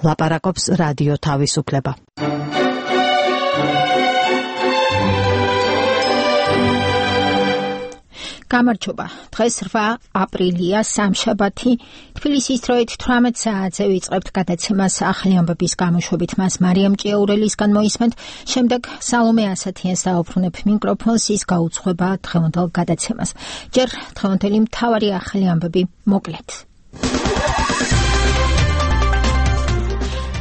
ლაპარაკობს რადიო თავისუფლება. გამარჯობა. დღეს 8 აპრილია, სამშაბათი. თბილისის დროით 18 საათზე ვიწყებთ გადაცემას ახალი ამბების გამოშვებით. მას მარიამ ჭიაურელისგან მოისმენთ. შემდეგ სალომე ასათიანს დაუბრუნებ მიკროფონს, ის გაუძღვება დღევანდელ გადაცემას. ჯერ დღევანდელი მთავარი ახალი ამბები მოკლედ.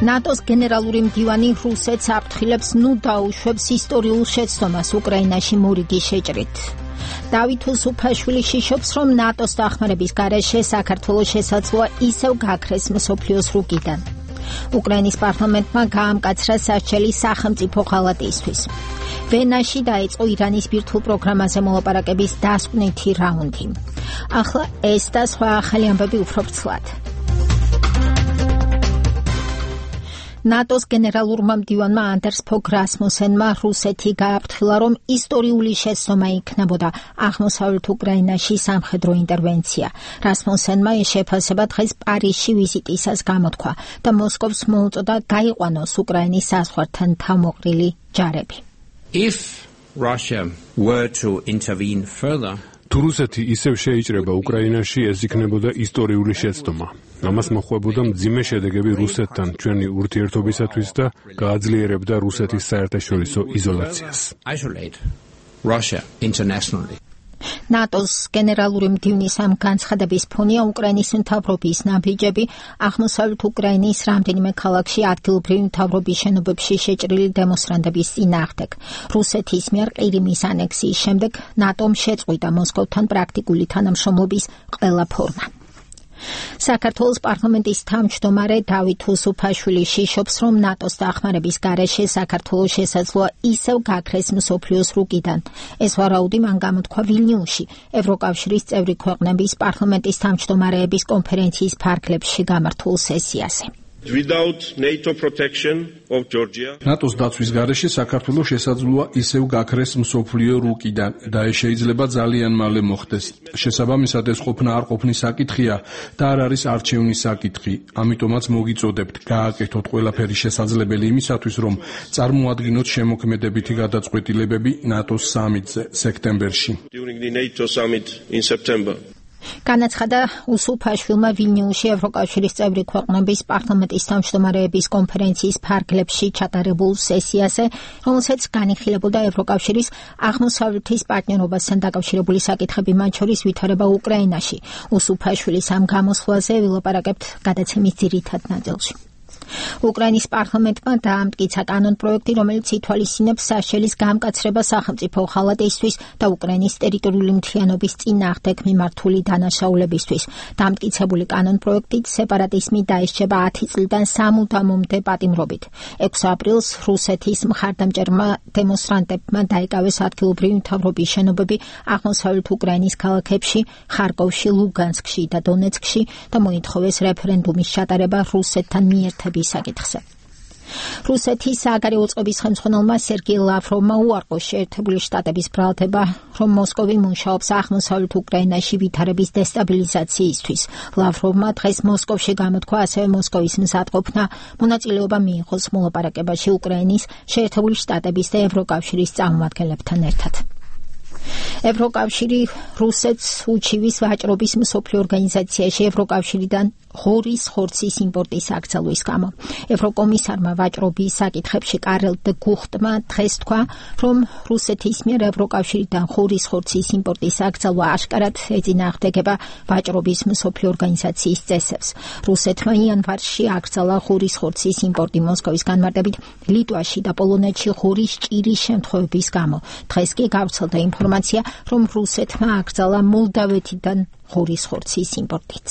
ნატოს გენერალური მდივანი რუსეთს აფრთხილებს, ნუ დაუშვებს ისტორიულ შეცდომას უკრაინაში მორიგი შეჭრით. დავით უსუფაშვილი შიშობს, რომ ნატოს დახმარების გარეშე საქართველოს შესაძლოა ისევ გაქრეს მსოფლიოს რუკიდან. უკრაინის პარლამენტმა გაამკაცრა სასჯელი სახელმწიფო ღალატისთვის. ვენაში დაიწყო ირანის ბირთვულ პროგრამაზე მოლაპარაკების დასკვნითი რაუნდი. ახლა ეს და სხვა ახალი ამბები უფრო ვრცლად. ნატოს გენერალურმა მდივანმა ანდერს ფოგ რასმუსენმა რუსეთი გააფრთხილა, რომ ისტორიული შეცდომა იქნებოდა აღმოსავლეთ უკრაინაში სამხედრო ინტერვენცია. რასმუსენმა ეს შეფასება დღეს პარიზში ვიზიტისას გამოთქვა და მოსკოვს მოუწოდა გაიყვანოს უკრაინის საზღვართან თავმოყრილი ჯარები. If Russia were to intervene further, თუ რუსეთი ისევ შეიჭრება უკრაინაში, ეს იქნებოდა ისტორიული შეცდომა. ამას მოხვებოდა მძიმე შედეგები რუსეთთან ჩვენი ურთიერთობისათვის და გააძლიერებდა რუსეთის საერთაშორისო იზოლაციას. ნატოს გენერალური მდივნის ამ განცხადების ფონია უკრაინის მთავრობის ნაბიჯები აღმოსავლეთ უკრაინის რამდენიმე ქალაქში ადგილობრივი მთავრობის შენობებში შეჭრილი დემონსტრანტების წინააღმდეგ. რუსეთის მიერ ყირიმის ანექსიის შემდეგ ნატომ შეწყვიტა მოსკოვთან პრაქტიკული თანამშრომლობის ყველა ფორმა. საქართველოს პარლამენტის თავმჯდომარე დავით უსუფაშვილი შიშობს, რომ ნატოს დახმარების გარეშე საქართველოს შესაძლოა ისევ გაქრეს მსოფლიოს რუკიდან. ეს ვარაუდი მან გამოთქვა ვილნიუსში, ევროკავშირის წევრი ქვეყნების პარლამენტის თავმჯდომარეების კონფერენციის ფარგლებში გამართულ სესიაზე. ნატოს დაცვის გარეშე საქართველოს შესაძლოა ისევ გაქრეს მსოფლიო რუკიდან და ეს შეიძლება ძალიან მალე მოხდეს. შესაბამისად ეს ყოფნა არ ყოფნის საკითხია და არ არის არჩევნის საკითხი. ამიტომაც მოგიწოდებთ გააკეთოთ ყველაფერი შესაძლებელი იმისათვის, რომ წარმოადგინოთ შემოქმედებითი გადაწყვეტილებები ნატოს სამიტზე სექტემბერში. განაცხადა უსუფაშვილმა ვილნიუსში ევროკავშირის წევრი ქვეყნების პარლამენტის თავმჯდომარეების კონფერენციის ფარგლებში ჩატარებულ სესიაზე, რომელსაც განიხილებოდა ევროკავშირის აღმოსავლეთის პარტნიორობასთან დაკავშირებული საკითხები, მათ შორის ვითარება უკრაინაში. უსუფაშვილის ამ გამოსვლაზე ვილაპარაკებთ გადაცემის ძირითად ნაწილში. უკრაინის პარლამენტმა დაამტკიცა კანონპროექტი, რომელიც ითვალისწინებს სასჯელის გამკაცრება სახელმწიფო ღალატისთვის და უკრაინის ტერიტორიული მთლიანობის წინააღმდეგ მიმართული დანაშაულებისთვის. დამტკიცებული კანონპროექტით სეპარატიზმი დაისჯება 10 წლიდან სამუდამომდე პატიმრობით. 6 აპრილს რუსეთის მხარდამჭერმა დემონსტრანტებმა დაიკავეს ადგილობრივი მთავრობის შენობები აღმოსავლეთ უკრაინის ქალაქებში, ხარკოვში, ლუგანსკში და დონეცკში და მოითხოვეს რეფერენდუმის ჩატარება რუსეთთან მიერთების საკითხზე. რუსეთის საგარეო წყობის ხელმძღვანელმა სერგეი ლავროვმა უარყო შეერთებული შტატების ბრალდება, რომ მოსკოვი მუშაობს აღმოსავლეთ უკრაინაში ვითარების დესტაბილიზაციისთვის. ლავროვმა დღეს მოსკოვში გამოთქვა ასევე მოსკოვის მზადყოფნა მონაწილეობა მიიღოს მოლაპარაკებაში უკრაინის, შეერთებული შტატების და ევროკავშირის წარმომადგენლებთან ერთად. ევროკავშირი რუსეთს უჩივის ვაჭრობის მსოფლიო ორგანიზაციაში ევროკავშირიდან ღორის ხორცის იმპორტის აკრძალვის გამო. ევროკომისარმა ვაჭრობის საკითხებში კარელ დე გუხტმა დღეს თქვა, რომ რუსეთის მიერ ევროკავშირიდან ღორის ხორცის იმპორტის აკრძალვა აშკარად ეწინააღმდეგება ვაჭრობის მსოფლიო ორგანიზაციის წესებს. რუსეთმა იანვარში აკრძალა ღორის ხორცის იმპორტი მოსკოვის განმარტებით ლიტვაში და პოლონეთში ღორის ჭირის შემთხვევების გამო. დღეს კი გავრცელდა ინფორმაცია, რომ რუსეთმა აკრძალა მოლდავეთიდან ღორის ხორცის იმპორტიც.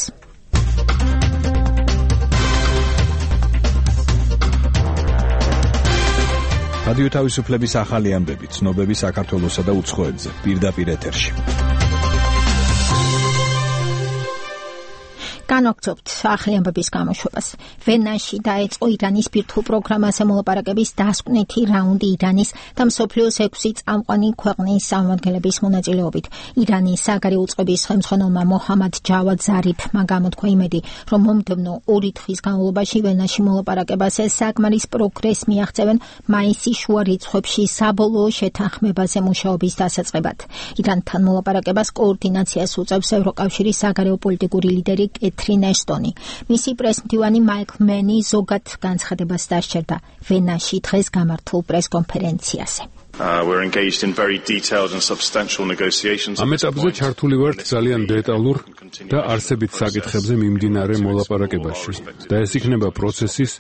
რადიო თავისუფლების ახალი ამბები, ცნობები საქართველოსა და უცხოეთზე, პირდაპირ ეთერში. განაგრძობთ ახალი ამბების გამოშვებას. ვენაში დაიწყო ირანის ბირთვულ პროგრამაზე მოლაპარაკების დასკვნითი რაუნდი ირანის და მსოფლიოს 6 წამყვანი ქვეყნის წარმომადგენლების მონაწილეობით. ირანის საგარეო უწყების ხელმძღვანელმა მოჰამად ჯავად ზარიფმა გამოთქვა იმედი, რომ მომდევნო 2 თვის განმავლობაში ვენაში მოლაპარაკებაზე საკმარის პროგრესს მიაღწევენ მაისის შუა რიცხვებში საბოლოო შეთანხმებაზე მუშაობის დასაწყებად. ირანთან მოლაპარაკებას კოორდინაციას უწევს ევროკავშირის საგარეო პოლიტიკური ლიდერი კეთრინ ესტონი. მისი პრესმდივანი მაიკლ მენი ზოგად განცხადებას დასჭერდა ვენაში დღეს გამართულ პრესკონფერენციაზე. We're engaged in very detailed and substantial negotiations. ამ ეტაპზე ჩართული ვართ ძალიან დეტალურ და არსებით საკითხებზე მიმდინარე მოლაპარაკებაში და ეს იქნება პროცესის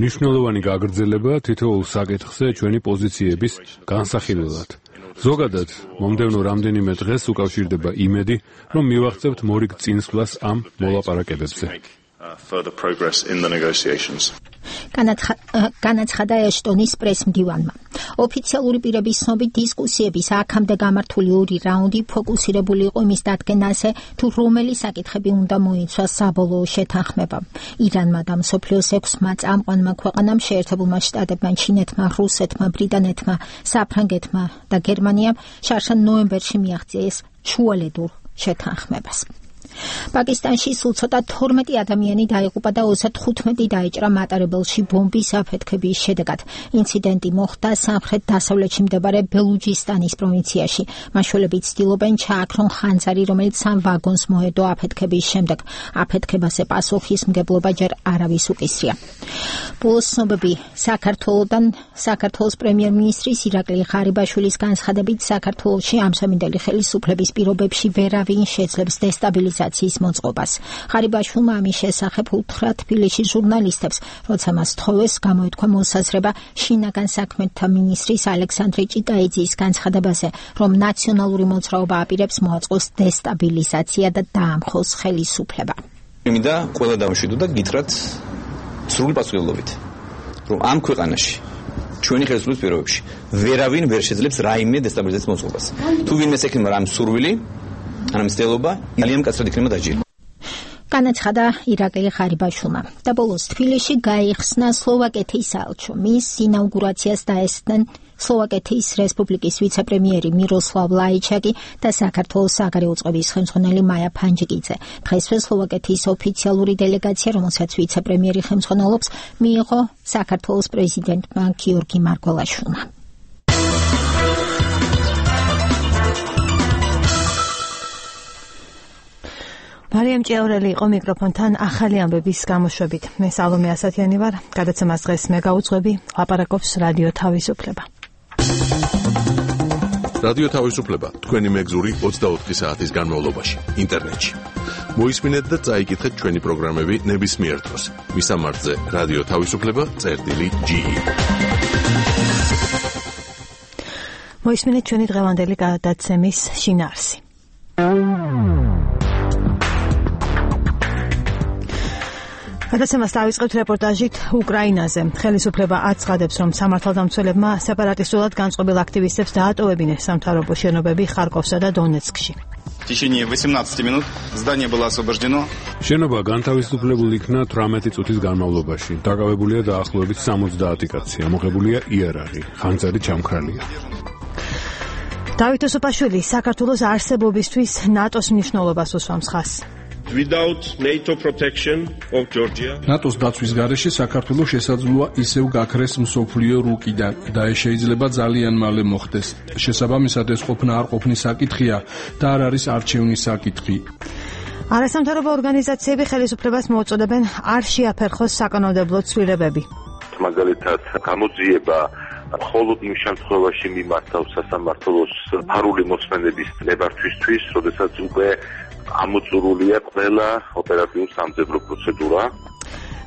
მნიშვნელოვანი გაგრძელება თითოეულ საკითხზე ჩვენი პოზიციების განსახილველად. ზოგადად, მომდევნო რამდენიმე დღეს უკავშირდება იმედი, რომ მივაღწევთ მორიგ წინსვლას ამ მოლაპარაკებებზე. Further progress in the negotiations. განაცხადა ეშტონის პრესმდივანმა. ოფიციალური პირების ცნობით დისკუსიების აქამდე გამართული 2 რაუნდი ფოკუსირებული იყო იმის დადგენაზე, თუ რომელი საკითხები უნდა მოიცვას საბოლოო შეთანხმებამ. ირანმა და მსოფლიოს 6 წამყვანმა ქვეყანამ, შეერთებულმა შტატებმა, ჩინეთმა, რუსეთმა, ბრიტანეთმა, საფრანგეთმა და გერმანიამ შარშან ნოემბერში მიაღწიეს შუალედურ შეთანხმებას. პაკისტანში სულ ცოტა 12 ადამიანი დაიღუპა და 35 დაიჭრა მატარებელში ბომბის აფეთქების შედეგად. ინციდენტი მოხდა სამხრეთ-დასავლეთში მდებარე ბელუჯისტანის პროვინციაში. მაშველები ცდილობენ ჩააქრონ ხანძარი, რომელიც 3 ვაგონს მოედო აფეთქების შემდეგ. აფეთქებაზე პასუხისმგებლობა ჯერ არავის უკისრია. ბოლოს ცნობები საქართველოს პრემიერ-მინისტრის ირაკლი ღარიბაშვილის განცხადებით, საქართველოში ამსამინდელი ხელისუფლების პირობებში ვერავინ შეძლებს დესტაბილიზაციის მოწყობას. ღარიბაშვილმა ამის შესახებ უთხრა თბილისში ჟურნალისტებს, როცა მას თხოვეს გამოეთქვა მოსაზრება შინაგან საქმეთა მინისტრის ალექსანდრე ჭიტაიძის განცხადებაზე, რომ ნაციონალური მოძრაობა აპირებს მოაწყოს დესტაბილიზაცია და დაამხოს ხელისუფლება. მინდა ყველა დავშვიდო და გითხრათ სრული პასუხისმგებლობით, რომ ამ ქვეყანაში ჩვენი ხელისუფლების პირობებში ვერავინ ვერ შეძლებს რაიმე დესტაბილიზაციის მოწყობას. თუ ვინმე ექნება რამ სურვილი, ამ მცდელობა ძალიან მკაცრად იქნება დაჯილი. განაცხადა ირაკლი ღარიბაშვილმა. და ბოლოს თბილისში გაიხსნა სლოვაკეთის საელჩო. მის ინაუგურაციას დაესწრნენ სლოვაკეთის რესპუბლიკის ვიცე-პრემიერი მიროსლავ ლაიჩაკი და საქართველოს საგარეო უწყების ხელმძღვანელი მაია ფანჯიკიძე. დღესვე სლოვაკეთის ოფიციალური დელეგაცია, რომელსაც ვიცე-პრემიერი ხელმძღვანელობს, მიიღო საქართველოს პრეზიდენტმა გიორგი მარგველაშვილმა. მარიამ ჭიაურელი იყო მიკროფონთან ახალი ამბების გამოშვებით. მე სალომე ასათიანი ვარ. გადაცემას დღეს მე გავუძღვები, ლაპარაკობს რადიო თავისუფლება. რადიო თავისუფლება თქვენი მეგზური 24 საათის განმავლობაში ინტერნეტში. მოისმინეთ და წაიკითხეთ ჩვენი პროგრამები ნებისმიერ დროს. მისამართზე რადიო თავისუფლება.ge. მოისმინეთ ჩვენი დღევანდელი გადაცემის შინაარსი. გადაცემას დავიწყებთ რეპორტაჟით უკრაინაზე. ხელისუფლება აცხადებს, რომ სამართალდამცველებმა სეპარატისტულად განწყობილ აქტივისტებს დაატოვებინეს სამთავრობო შენობები ხარკოვსა და დონეცკში. В течение 18 минут здание было освобождено. შენობა განთავისუფლებული იქნა 18 წუთის განმავლობაში. დაკავებულია დაახლოებით 70 კაცი, ამოღებულია იარაღი, ხანძარი ჩამქრალია. დავით ოსოპაშვილი საქართველოს არსებობისთვის ნატოს მნიშვნელობას უსვამს ხაზს. Without NATO protection of Georgia, ნატოს დაცვის გარეშე საქართველოს შესაძლოა ისევ გაქრეს მსოფლიო რუკიდან და ეს შეიძლება ძალიან მალე მოხდეს. შესაბამისად ეს ყოფნა არ ყოფნის საკითხია და არ არის არჩევნის საკითხი. არასამთავრობო ორგანიზაციები ხელისუფლებას მოუწოდებენ არ შეაფერხოს საკანონმდებლო ცვლილებები. მაგალითად, გამოძიება მხოლოდ იმ შემთხვევაში მიმართავს სასამართლოს ფარული მოსმენების ნებართვისთვის, როდესაც უკვე ამოწურულია ყველა ოპერატიულ სამძებრო პროცედურა.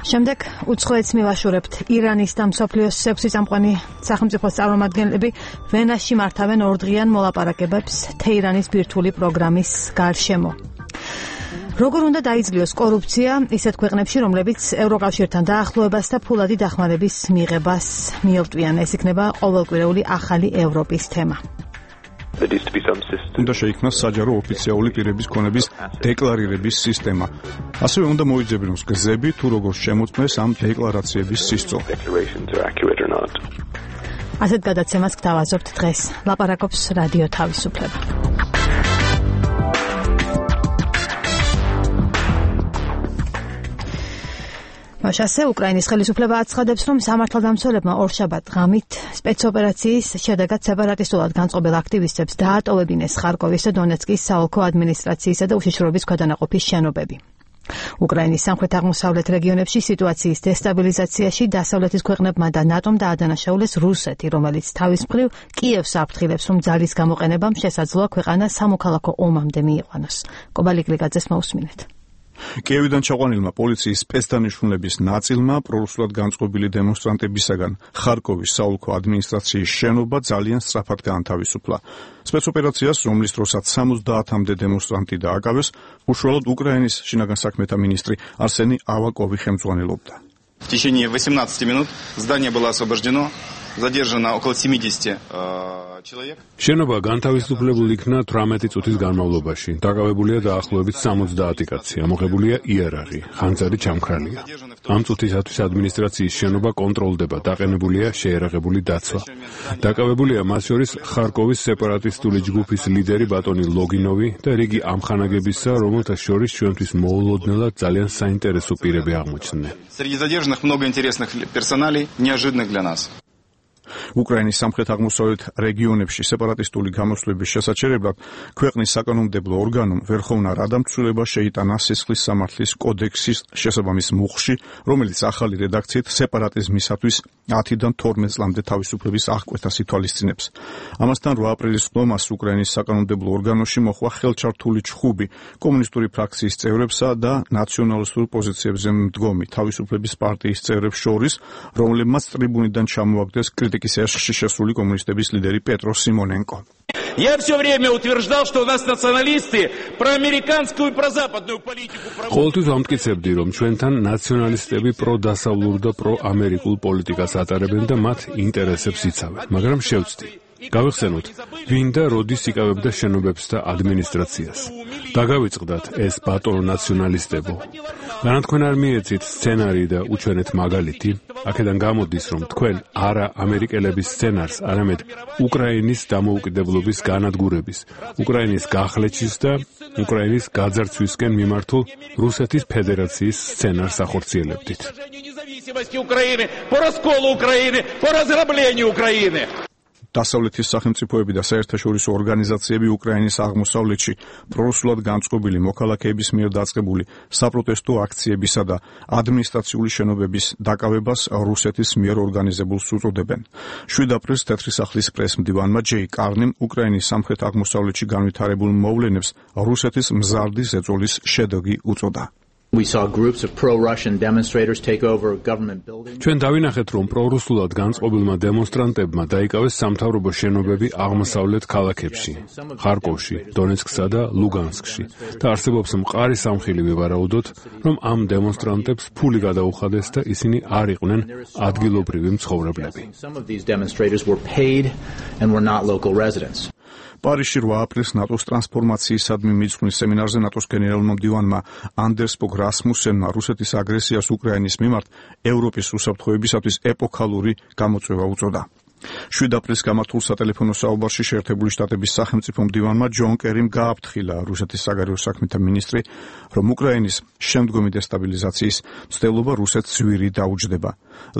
შემდეგ უცხოეთს მივაშურებთ. ირანის და მსოფლიოს 6 წამყვანი სახელმწიფოს წარმომადგენლები ვენაში მართავენ ორდღიან მოლაპარაკებებს თეირანის ბირთვული პროგრამის გარშემო. როგორ უნდა დაიძლიოს კორუფცია ისეთ ქვეყნებში, რომლებიც ევროკავშირთან დაახლოებას და ფულადი დახმარების მიღებას მიელტვიან? ეს იქნება ყოველკვირეული ახალი ევროპის თემა. უნდა შეიქმნას საჯარო ოფიციალური პირების ქონების დეკლარირების სისტემა. ასევე უნდა მოიძებნოს გზები თუ როგორ შემოწმეს ამ დეკლარაციების სისწრაფე. ასეთ გადაცემას გთავაზობთ დღეს. ლაპარაკობს რადიო თავისუფლება. მასე უკრაინის ხელისუფლება აცხადებს, რომ სამართალდამცველებმა ორშაბათ ღამით სპეცოპერაციის შედეგად სეპარატისტულად განწყობილ აქტივისტებს დაატოვებინეს ხარკოვის და დონეცკის საოლქო ადმინისტრაციისა და უშიშროების ქვედანაყოფის შენობები. უკრაინის სამხრეთ-აღმოსავლეთ რეგიონებში სიტუაციის დესტაბილიზაციაში დასავლეთის ქვეყნებმა და ნატომ დაადანაშაულეს რუსეთი, რომელიც თავის მხრივ კიევს აფრთხილებს, რომ ძალის გამოყენებამ შესაძლოა ქვეყანა სამოქალაქო ომამდე მიიყვანოს. კობალიგლიგაძეს მოусმინეთ. კიევიდან ჩაყვანილმა პოლიციის სპეცდანიშნულების ნაწილმა პრორუსულად განწყობილი დემონსტრანტებისაგან ხარკოვის საოლქო ადმინისტრაციის შენობა ძალიან სწრაფად გაანთავისუფლა. სპეცოპერაციას, რომლის დროსაც 70-მდე დემონსტრანტი დააკავეს, უშუალოდ უკრაინის შინაგან საქმეთა მინისტრი არსენი ავაკოვი ხელმძღვანელობდა. В течение 18 минут здание было освобождено. Задержано около 70 человек. შენობა განთავისუფლებული იქნა 18 წუთის განმავლობაში. დაკავებულია დაახლოებით 70 კაცი. ამოღებულია იარაღი, ხანძარი ჩამქრალია. ამ წუთისათვის ადმინისტრაციის შენობა კონტროლდება, დაყენებულია შეერაღებული დაცვა. დაკავებულია მას შორის ხარკოვის სეპარატისტული ჯგუფის ლიდერი ბატონი ლოგინოვი და რიგი ამხანაგებისა, რომელთა შორის ჩვენთვის მოულოდნელად ძალიან საინტერესო პირები აღმოჩნდნენ. Среди задержанных много интересных персоналей, неожиданных для нас. უკრაინის სამხრეთ-აღმოსავლეთ რეგიონებში სეპარატისტული გამოსვლების შესაჩერებლად ქვეყნის საკანონმდებლო ორგანომ ვერხოვნა რადამცველობა შეიტანა სისხლის სამართლის კოდექსის შესაბამის მუხლში, რომელიც ახალი რედაქციით სეპარატიზმისათვის 10-დან 12 წლამდე თავისუფლების აღკვეთას ითვალისწინებს. ამასთან 8 აპრილის ხდომას უკრაინის საკანონმდებლო ორგანოში მოხვა ხელჩართული ჩხუბი კომუნისტური ფრაქციის წევრებსა და ნაციონალისტურ პოზიციებზე მდგომი თავისუფლების პარტიის წევრებს შორის, რომლებმაც ტრიბუნიდან ჩამოაგდეს критики ешში შესული კომუნისტების ლიდერი პეტრო სიმონენკო. Я все время утверждал, что у нас националисты проамериканскую и прозападную политику проводят. ყოველთვის ამტკიცებდი, რომ ჩვენთან ნაციონალისტები პროდასავლურ და პროამერიკულ პოლიტიკას ატარებენ და მათ ინტერესებს იცავენ, მაგრამ შევწდი. გავიხსენოთ, ვინ და როდის იკავებდა შენობებს და ადმინისტრაციას. დაგავიწყდათ ეს ბატონო ნაციონალისტებო. განათქვენ არ მიეცით სცენარი და უჩვენეთ მაგალითი. აქედან გამოდის, რომ თქვენ არა ამერიკელების სცენარს, არამედ უკრაინის დამოუკიდებლობის განადგურების, უკრაინის გახლეჩის და უკრაინის გაძარცვისკენ მიმართულ რუსეთის ფედერაციის სცენარს ახორციელებდით. დასავლეთის სახელმწიფოები და საერთაშორისო ორგანიზაციები უკრაინის აღმოსავლეთში პრორუსულად განწყობილი მოქალაქეების მიერ დაწყებული საპროტესტო აქციებისა და ადმინისტრაციული შენობების დაკავებას რუსეთის მიერ ორგანიზებულს უწოდებენ. 7 აპრილს თეთრი სახლის პრესმდივანმა ჯეი კარნიმ უკრაინის სამხრეთ აღმოსავლეთში განვითარებულ მოვლენებს რუსეთის მზარდი ზეწოლის შედეგი უწოდა. We saw groups of pro-Russian demonstrators take over government buildings. ჩვენ დავინახეთ, რომ პრორუსულად განწყობილმა დემონსტრანტებმა დაიკავეს სამთავრობო შენობები აღმოსავლეთ ქალაქებში, ხარკოვში, დონეცკსა და ლუგანსკში და არსებობს მყარი სამხილი ვივარაუდოთ, რომ ამ დემონსტრანტებს ფული გადაუხადეს და ისინი არ იყვნენ ადგილობრივი მცხოვრებლები. Some of these demonstrators were paid and were not local residents. პარიზში 8 აპრილს ნატოს ტრანსფორმაციისადმი მიძღვნის სემინარზე ნატოს გენერალურმა მდივანმა ანდერს ბოგ რასმუსენმა რუსეთის აგრესიას უკრაინის მიმართ ევროპის უსაფრთხოებისათვის ეპოქალური გამოწვევა უწოდა. 7 აპრილს გამართულ სატელეფონო საუბარში შეერთებული შტატების სახელმწიფო მდივანმა ჯონ კერიმ გააფრთხილა რუსეთის საგარეო საქმეთა მინისტრი, რომ უკრაინის შემდგომი დესტაბილიზაციის მცდელობა რუსეთს ძვირი დაუჯდება.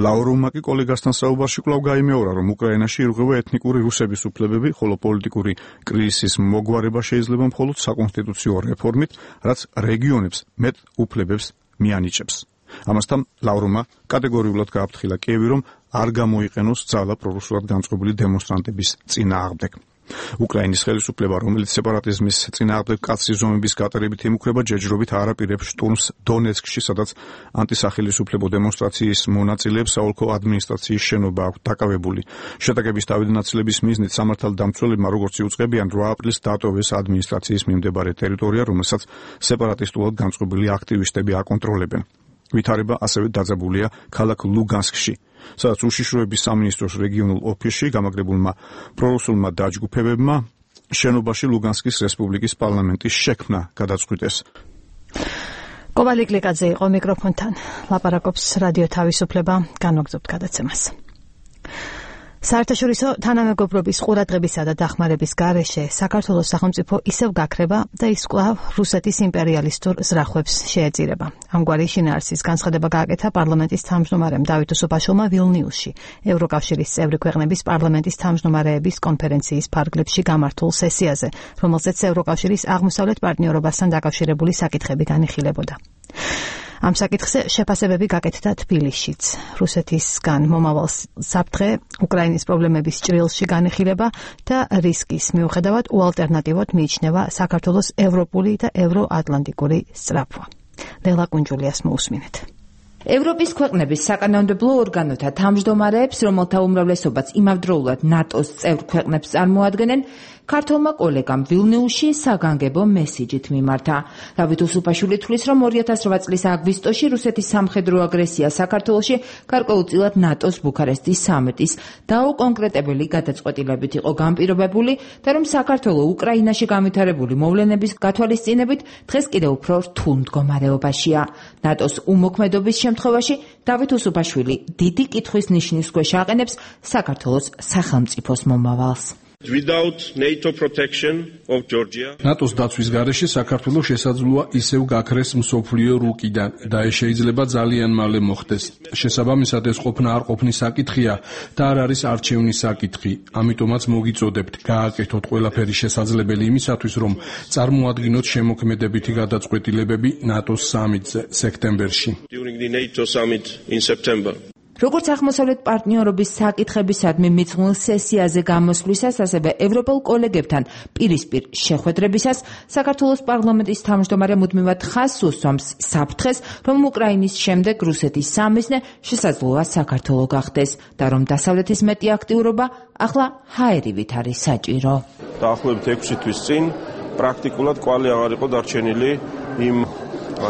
ლავროვმა კი კოლეგასთან საუბარში კვლავ გაიმეორა, რომ უკრაინაში ირღვევა ეთნიკური რუსების უფლებები, ხოლო პოლიტიკური კრიზისის მოგვარება შეიძლება მხოლოდ საკონსტიტუციო რეფორმით, რაც რეგიონებს მეტ უფლებებს მიანიჭებს. ამასთან ლავროვმა კატეგორიულად გააფრთხილა კიევი, რომ არ გამოიყენოს ძალა პრორუსულად განწყობილი დემონსტრანტების წინააღმდეგ. უკრაინის ხელისუფლება, რომელიც სეპარატიზმის წინააღმდეგ კაცრი ზომების გატარებით ემუქრება, ჯერჯერობით არაპირებს შტურმს დონეცკში, სადაც ანტისახელისუფლებო დემონსტრაციის მონაწილეებს საოლქო ადმინისტრაციის შენობა აქვს დაკავებული. შეტაკების თავდანაცვლების მიზნით სამართალდამცველებმა, როგორც იუწყებიან, 8 აპრილს დატოვეს ადმინისტრაციის მიმდებარე ტერიტორია, რომელსაც სეპარატისტულად განწყობილი აქტივისტები აკონტროლებენ. ვითარება ასევე დაძაბულია ქალაქ ლუგანსკში, სადაც უშიშროების სამინისტროს რეგიონულ ოფისში გამაგრებულმა პრორუსულმა დაჯგუფებებმა შენობაში ლუგანსკის რესპუბლიკის პარლამენტის შექმნა გადაწყვიტეს. კოვალი კლიკაძე იყო მიკროფონთან. ლაპარაკობს რადიო თავისუფლება, განვაგრძობთ გადაცემას. საერთაშორისო თანამეგობრობის ყურადღებისა და დახმარების გარეშე საქართველოს სახელმწიფო ისევ გაქრება და ის კვლავ რუსეთის იმპერიალისტურ ზრახვებს შეეწირება. ამგვარი შინაარსის განცხადება გააკეთა პარლამენტის თავმჯდომარემ დავით უსუბაშვილმა ვილნიუსში, ევროკავშირის წევრი ქვეყნების პარლამენტის თავმჯდომარეების კონფერენციის ფარგლებში გამართულ სესიაზე, რომელზეც ევროკავშირის აღმოსავლეთ პარტნიორობასთან დაკავშირებული საკითხები განიხილებოდა. ამ საკითხზე შეფასებები გაკეთდა თბილისშიც. რუსეთისგან მომავალ საფრთხე უკრაინის პრობლემების ჭრილში განიხილება და რისკის მიუხედავად უალტერნატივოდ მიიჩნევა საქართველოს ევროპული და ევროატლანტიკური სწრაფვა. ლელა კუნჯულიას მოусმინეთ. ევროპის ქვეყნების საკანონმდებლო ორგანოთა თავმჯდომარეებს, რომელთა უმრავლესობაც იმავდროულად ნატოს წევრ ქვეყნებს წარმოადგენენ, ქართულმა კოლეგამ ვილნიუსში საგანგებო მესიჯით მიმართა. დავით უსუბაშვილი თვლის, რომ 2008 წლის აგვისტოში რუსეთის სამხედრო აგრესია საქართველოში გარკვეულწილად ნატოს ბუქარესტის სამიტის დაუკონკრეტებელი გადაწყვეტილებით იყო განპირობებული და რომ საქართველო უკრაინაში განვითარებული მოვლენების გათვალისწინებით დღეს კიდევ უფრო რთულ მდგომარეობაშია. ნატოს უმოქმედობის შემთხვევაში დავით უსუბაშვილი დიდი კითხვის ნიშნის ქვეშ აყენებს საქართველოს სახელმწიფოს მომავალს. Without NATO protection of Georgia, ნატოს დაცვის გარეშე საქართველოს შესაძლოა ისევ გაქრეს მსოფლიო რუკიდან და ეს შეიძლება ძალიან მალე მოხდეს. შესაბამისად ეს ყოფნა არ ყოფნის საკითხია და არ არის არჩევნის საკითხი. ამიტომაც მოგიწოდებთ გააკეთოთ ყველაფერი შესაძლებელი იმისათვის, რომ წარმოადგინოთ შემოქმედებითი გადაწყვეტილებები ნატოს სამიტზე სექტემბერში. During the NATO summit in September. როგორც აღმოსავლეთ პარტნიორობის საკითხებისადმი მიძღვნილ სესიაზე გამოსვლისას, ასევე ევროპელ კოლეგებთან პირისპირ შეხვედრებისას, საქართველოს პარლამენტის თავმჯდომარე მუდმივად ხაზს უსვამს საფრთხეს, რომ უკრაინის შემდეგ რუსეთის სამიზნე შესაძლოა საქართველო გახდეს და რომ დასავლეთის მეტი აქტიურობა ახლა ჰაერივით არის საჭირო. დაახლოებით 6 თვის წინ პრაქტიკულად კვალი აღარ იყო დარჩენილი იმ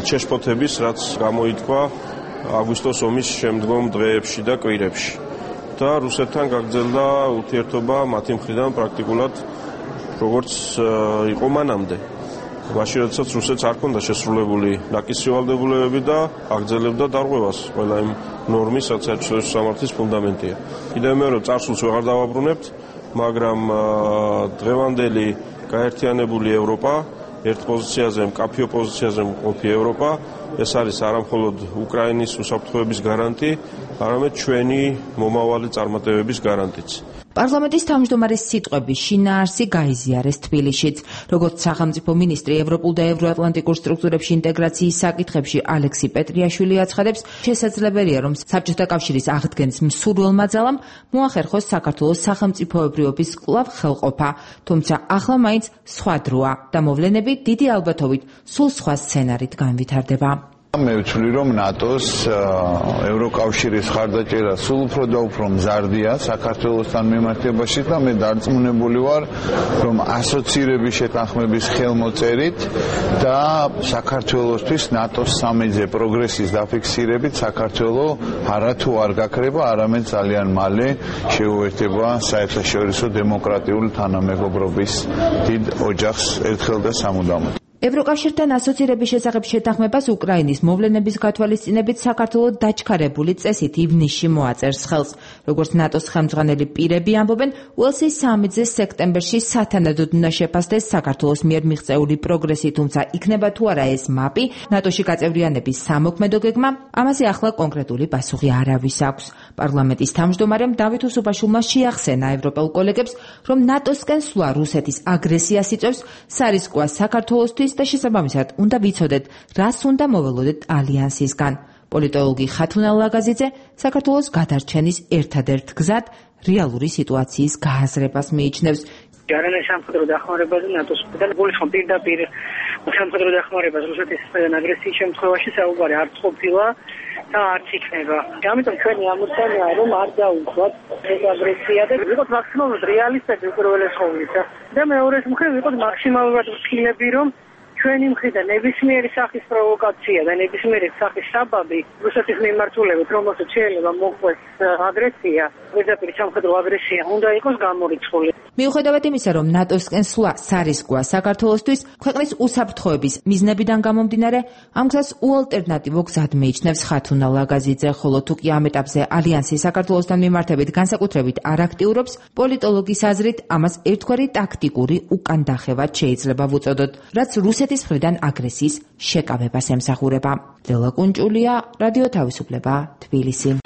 შეშფოთების, რაც გამოითქვა აგვისტოს ომის შემდგომ დღეებში და კვირებში და რუსეთთან გაგრძელდა ურთიერთობა მათი მხრიდან პრაქტიკულად როგორც იყო მანამდე. მაშინ როდესაც რუსეთს არ ჰქონდა შესრულებული ნაკისი ვალდებულებები და აგრძელებდა დარღვევას ყველა იმ ნორმის, რაც საერთაშორისო სამართლის ფუნდამენტია. კიდევ მეორე წარსულს ვეღარ დავაბრუნებთ, მაგრამ დღევანდელი გაერთიანებული ევროპა, ერთ პოზიციაზე, მკაფიო პოზიციაზე მყოფი ევროპა, ეს არის არამხოლოდ უკრაინის უსაფრთხოების გარანტი, არამედ ჩვენი მომავალი წარმატებების გარანტიც. პარლამენტის თავმჯდომარის სიტყვების შინაარსი გაიზიარეს თბილისშიც. როგორც სახელმწიფო მინისტრი ევროპულ და ევროატლანტიკურ სტრუქტურებში ინტეგრაციის საკითხებში ალექსი პეტრიაშვილი აცხადებს, შესაძლებელია, რომ საბჭოთა კავშირის აღდგენის მსურველმა ძალამ მოახერხოს საქართველოს სახელმწიფოებრიობის კვლავ ხელყოფა, თუმცა ახლა მაინც სხვა დროა და მოვლენები დიდი ალბათობით სულ სხვა სცენარით განვითარდება. მე ვთვლი, რომ ნატოს ევროკავშირის ხარდაჭერა სულ უფრო და უფრო მზარდია საქართველოსთან მიმართებაში და მე დარწმუნებული ვარ, რომ ასოცირების შეთანხმების ხელმოწერით და საქართველოსთვის ნატოს სამეზე პროგრესის დაფიქსირებით საქართველო არათუ არ გაქრება, არამედ ძალიან მალე შეუერთება საერთაშორისო დემოკრატიული თანამეგობრობის დიდ ოჯახს ერთხელ და სამუდამოდ. ევროკავშირთან ასოცირების შესახებ შეთანხმებას უკრაინის მოვლენების გათვალისწინებით საქართველო დაჩქარებული წესით ივნისში მოაწერს ხელს. როგორც ნატოს ხელმძღვანელი პირები ამბობენ, უელსის სამიტზე სექტემბერში სათანადოდ უნდა შეფასდეს საქართველოს მიერ მიღწეული პროგრესი, თუმცა იქნება თუ არა ეს მაპი, ნატოში გაწევრიანების სამოქმედო გეგმა, ამაზე ახლა კონკრეტული პასუხი არავის აქვს. პარლამენტის თავმჯდომარემ დავით უსუბაშვილმა შეახსენა ევროპელ კოლეგებს, რომ ნატოსკენ სვლა რუსეთის აგრესიას იწვევს, სარისკოა საქართველოსთვის და შესაბამისად უნდა ვიცოდეთ, რას უნდა მოველოდეთ ალიანსისგან. პოლიტოლოგი ხათუნა ლაგაზიძე საქართველოს გადარჩენის ერთადერთ გზად რეალური სიტუაციის გააზრებას მიიჩნევს. ჯარანის სამხედრო დახმარებაზე ნატოს მხრიდან გულისხმობ პირდაპირ სამხედრო დახმარებას რუსეთის მხრიდან აგრესიის შემთხვევაში საუბარი არც ყოფილა და არც იქნება. ამიტომ ჩვენი ამოცანაა, რომ არ დაუხვათ ეს აგრესია და ვიყოთ მაქსიმალურად რეალისტები უპირველეს ყოვლისა და მეორეს მხრივ ვიყოთ მაქსიმალურად ვთქინები, რომ ჩვენი მხრიდან ნებისმიერი სახის პროვოკაცია და ნებისმიერი სახის საბაბი რუსეთის მიმართულებით, რომელსაც შეიძლება მოყვეს აგრესია, პირდაპირ სამხედრო აგრესია, უნდა იყოს გამორიცხული. მიუხედავად იმისა, რომ ნატოსკენ სვლა სარისკოა საქართველოსთვის, ქვეყნის უსაფრთხოების მიზნებიდან გამომდინარე, ამ გზას უალტერნატივო გზად მიიჩნევს ხათუნა ლაგაზიძე, ხოლო თუ კი ამ ეტაპზე ალიანსი საქართველოსთან მიმართებით განსაკუთრებით არ აქტიურობს, პოლიტოლოგის აზრით ამას ერთგვარი ტაქტიკური უკანდახევად შეიძლება ვუწოდოთ, რაც რუსეთის მხრიდან აგრესიის შეკავებას ემსახურება. ლელა კუნჭულია, რადიო თავისუფლება, თბილისი.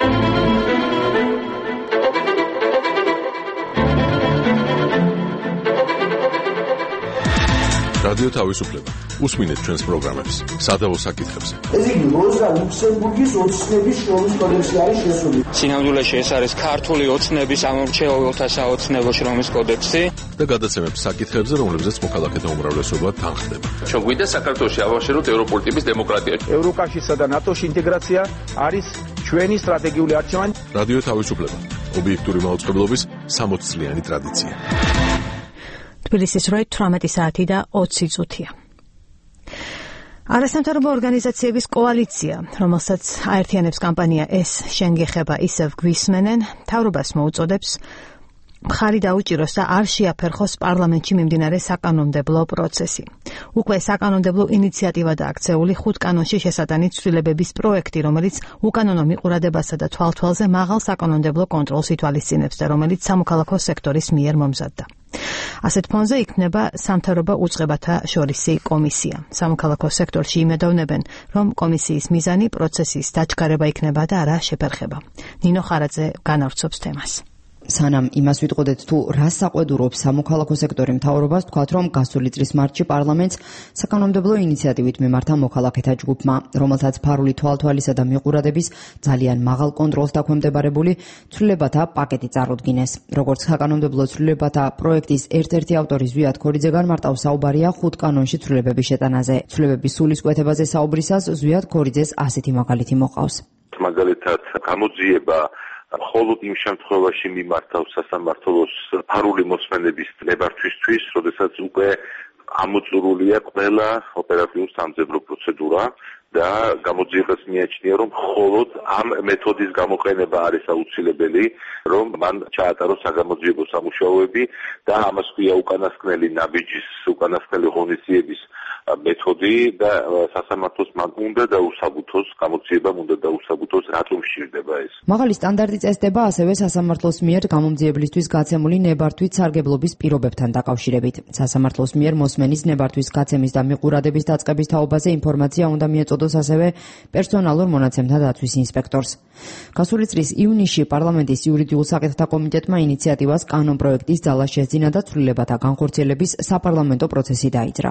რადიო თავისუფლება. უსმინეთ ჩვენს პროგრამებს სადავო საკითხებზე. ეს იგი როზა ლუქსემბურგის ოცნების შრომის კოდექსი არის შესული. სინამდვილეში ეს არის ქართული ოცნების ამორჩეულთა საოცნებო შრომის კოდექსი და გადაცემებს საკითხებზე, რომლებზეც მოქალაქეთა უმრავლესობა თანხდება. ჩვენ გვინდა საქართველოში ავაშეროთ ევროპული ტიპის დემოკრატია. ევროკავშირსა და ნატოში ინტეგრაცია არის ჩვენი სტრატეგიული არჩევანი. რადიო თავისუფლება. ობიექტური მაუწყებლობის 60 წლიანი ტრადიცია. თბილისის 18 საათი და 20 წუთია. არასამთავრობო ორგანიზაციების კოალიცია, რომელსაც აერთიანებს კამპანია ეს შენ გეხება ისევ გვისმენენ, მთავრობას მოუწოდებს მხარი დაუჭიროს და არ შეაფერხოს პარლამენტში მიმდინარე საკანონმდებლო პროცესი. უკვე საკანონმდებლო ინიციატივა დააქცეული 5 კანონში შესატანი ცვლილებების პროექტი, რომელიც უკანონო მიყურადებასა და თვალთვალზე მაღალ საკანონმდებლო კონტროლს ითვალისწინებს და რომელიც სამოქალაქო სექტორის მიერ მომზადდა. ასეთ ფონზე იქნება სამთავრობო უწყებათა შორისი კომისია. სამოქალაქო სექტორში იმედოვნებენ, რომ კომისიის მიზანი პროცესის დაჩქარება იქნება და არა შეფერხება. ნინო ხარაძე განავრცობს თემას. სანამ იმას ვიტყოდეთ თუ რას საყვედურობს სამოქალაქო სექტორი მთავრობას, თქვათ რომ გასული წლის მარტში პარლამენტს საკანონმდებლო ინიციატივით მიმართა მოქალაქეთა ჯგუფმა, რომელსაც ფარული თვალთვალისა და მიყურადების ძალიან მაღალ კონტროლს დაქვემდებარებული ცვლილებათა პაკეტი წარუდგინეს. როგორც საკანონმდებლო ცვლილებათა პროექტის ერთ-ერთი ავტორი ზვიად ქორიძე განმარტავს, საუბარია 5 კანონში ცვლილებების შეტანაზე. ცვლილებების სულისკვეთებაზე საუბრისას ზვიად ქორიძეს ასეთი მაგალითი მოყავს. მაგალითად, გამოძიება მხოლოდ იმ შემთხვევაში მიმართავს სასამართლოს ფარული მოსმენების ნებართვისთვის, როდესაც უკვე ამოწურულია ყველა ოპერატიული სამძებრო პროცედურა და გამოძიებას მიაჩნია, რომ მხოლოდ ამ მეთოდის გამოყენება არის აუცილებელი, რომ მან ჩაატაროს საგამოძიებო სამუშაოები და ამას ქვია უკანასკნელი ნაბიჯის, უკანასკნელი ღონისძიების მეთოდი და სასამართლოს მან უნდა დაუსაბუთოს, გამოძიებამ უნდა დაუსაბუთოს, რატომ სჭირდება ეს. მაღალი სტანდარტი წესდება ასევე სასამართლოს მიერ გამომძიებლისთვის გაცემული ნებართვით სარგებლობის პირობებთან დაკავშირებით. სასამართლოს მიერ მოსმენის ნებართვის გაცემის და მიყურადების დაწყების თაობაზე ინფორმაცია უნდა მიეწოდოს ასევე პერსონალურ მონაცემთა დაცვის ინსპექტორს. გასული წლის ივნისში პარლამენტის იურიდიულ საკითხთა კომიტეტმა ინიციატივას კანონპროექტის ძალა შესძინა და ცვლილებათა განხორციელების საპარლამენტო პროცესი დაიძრა.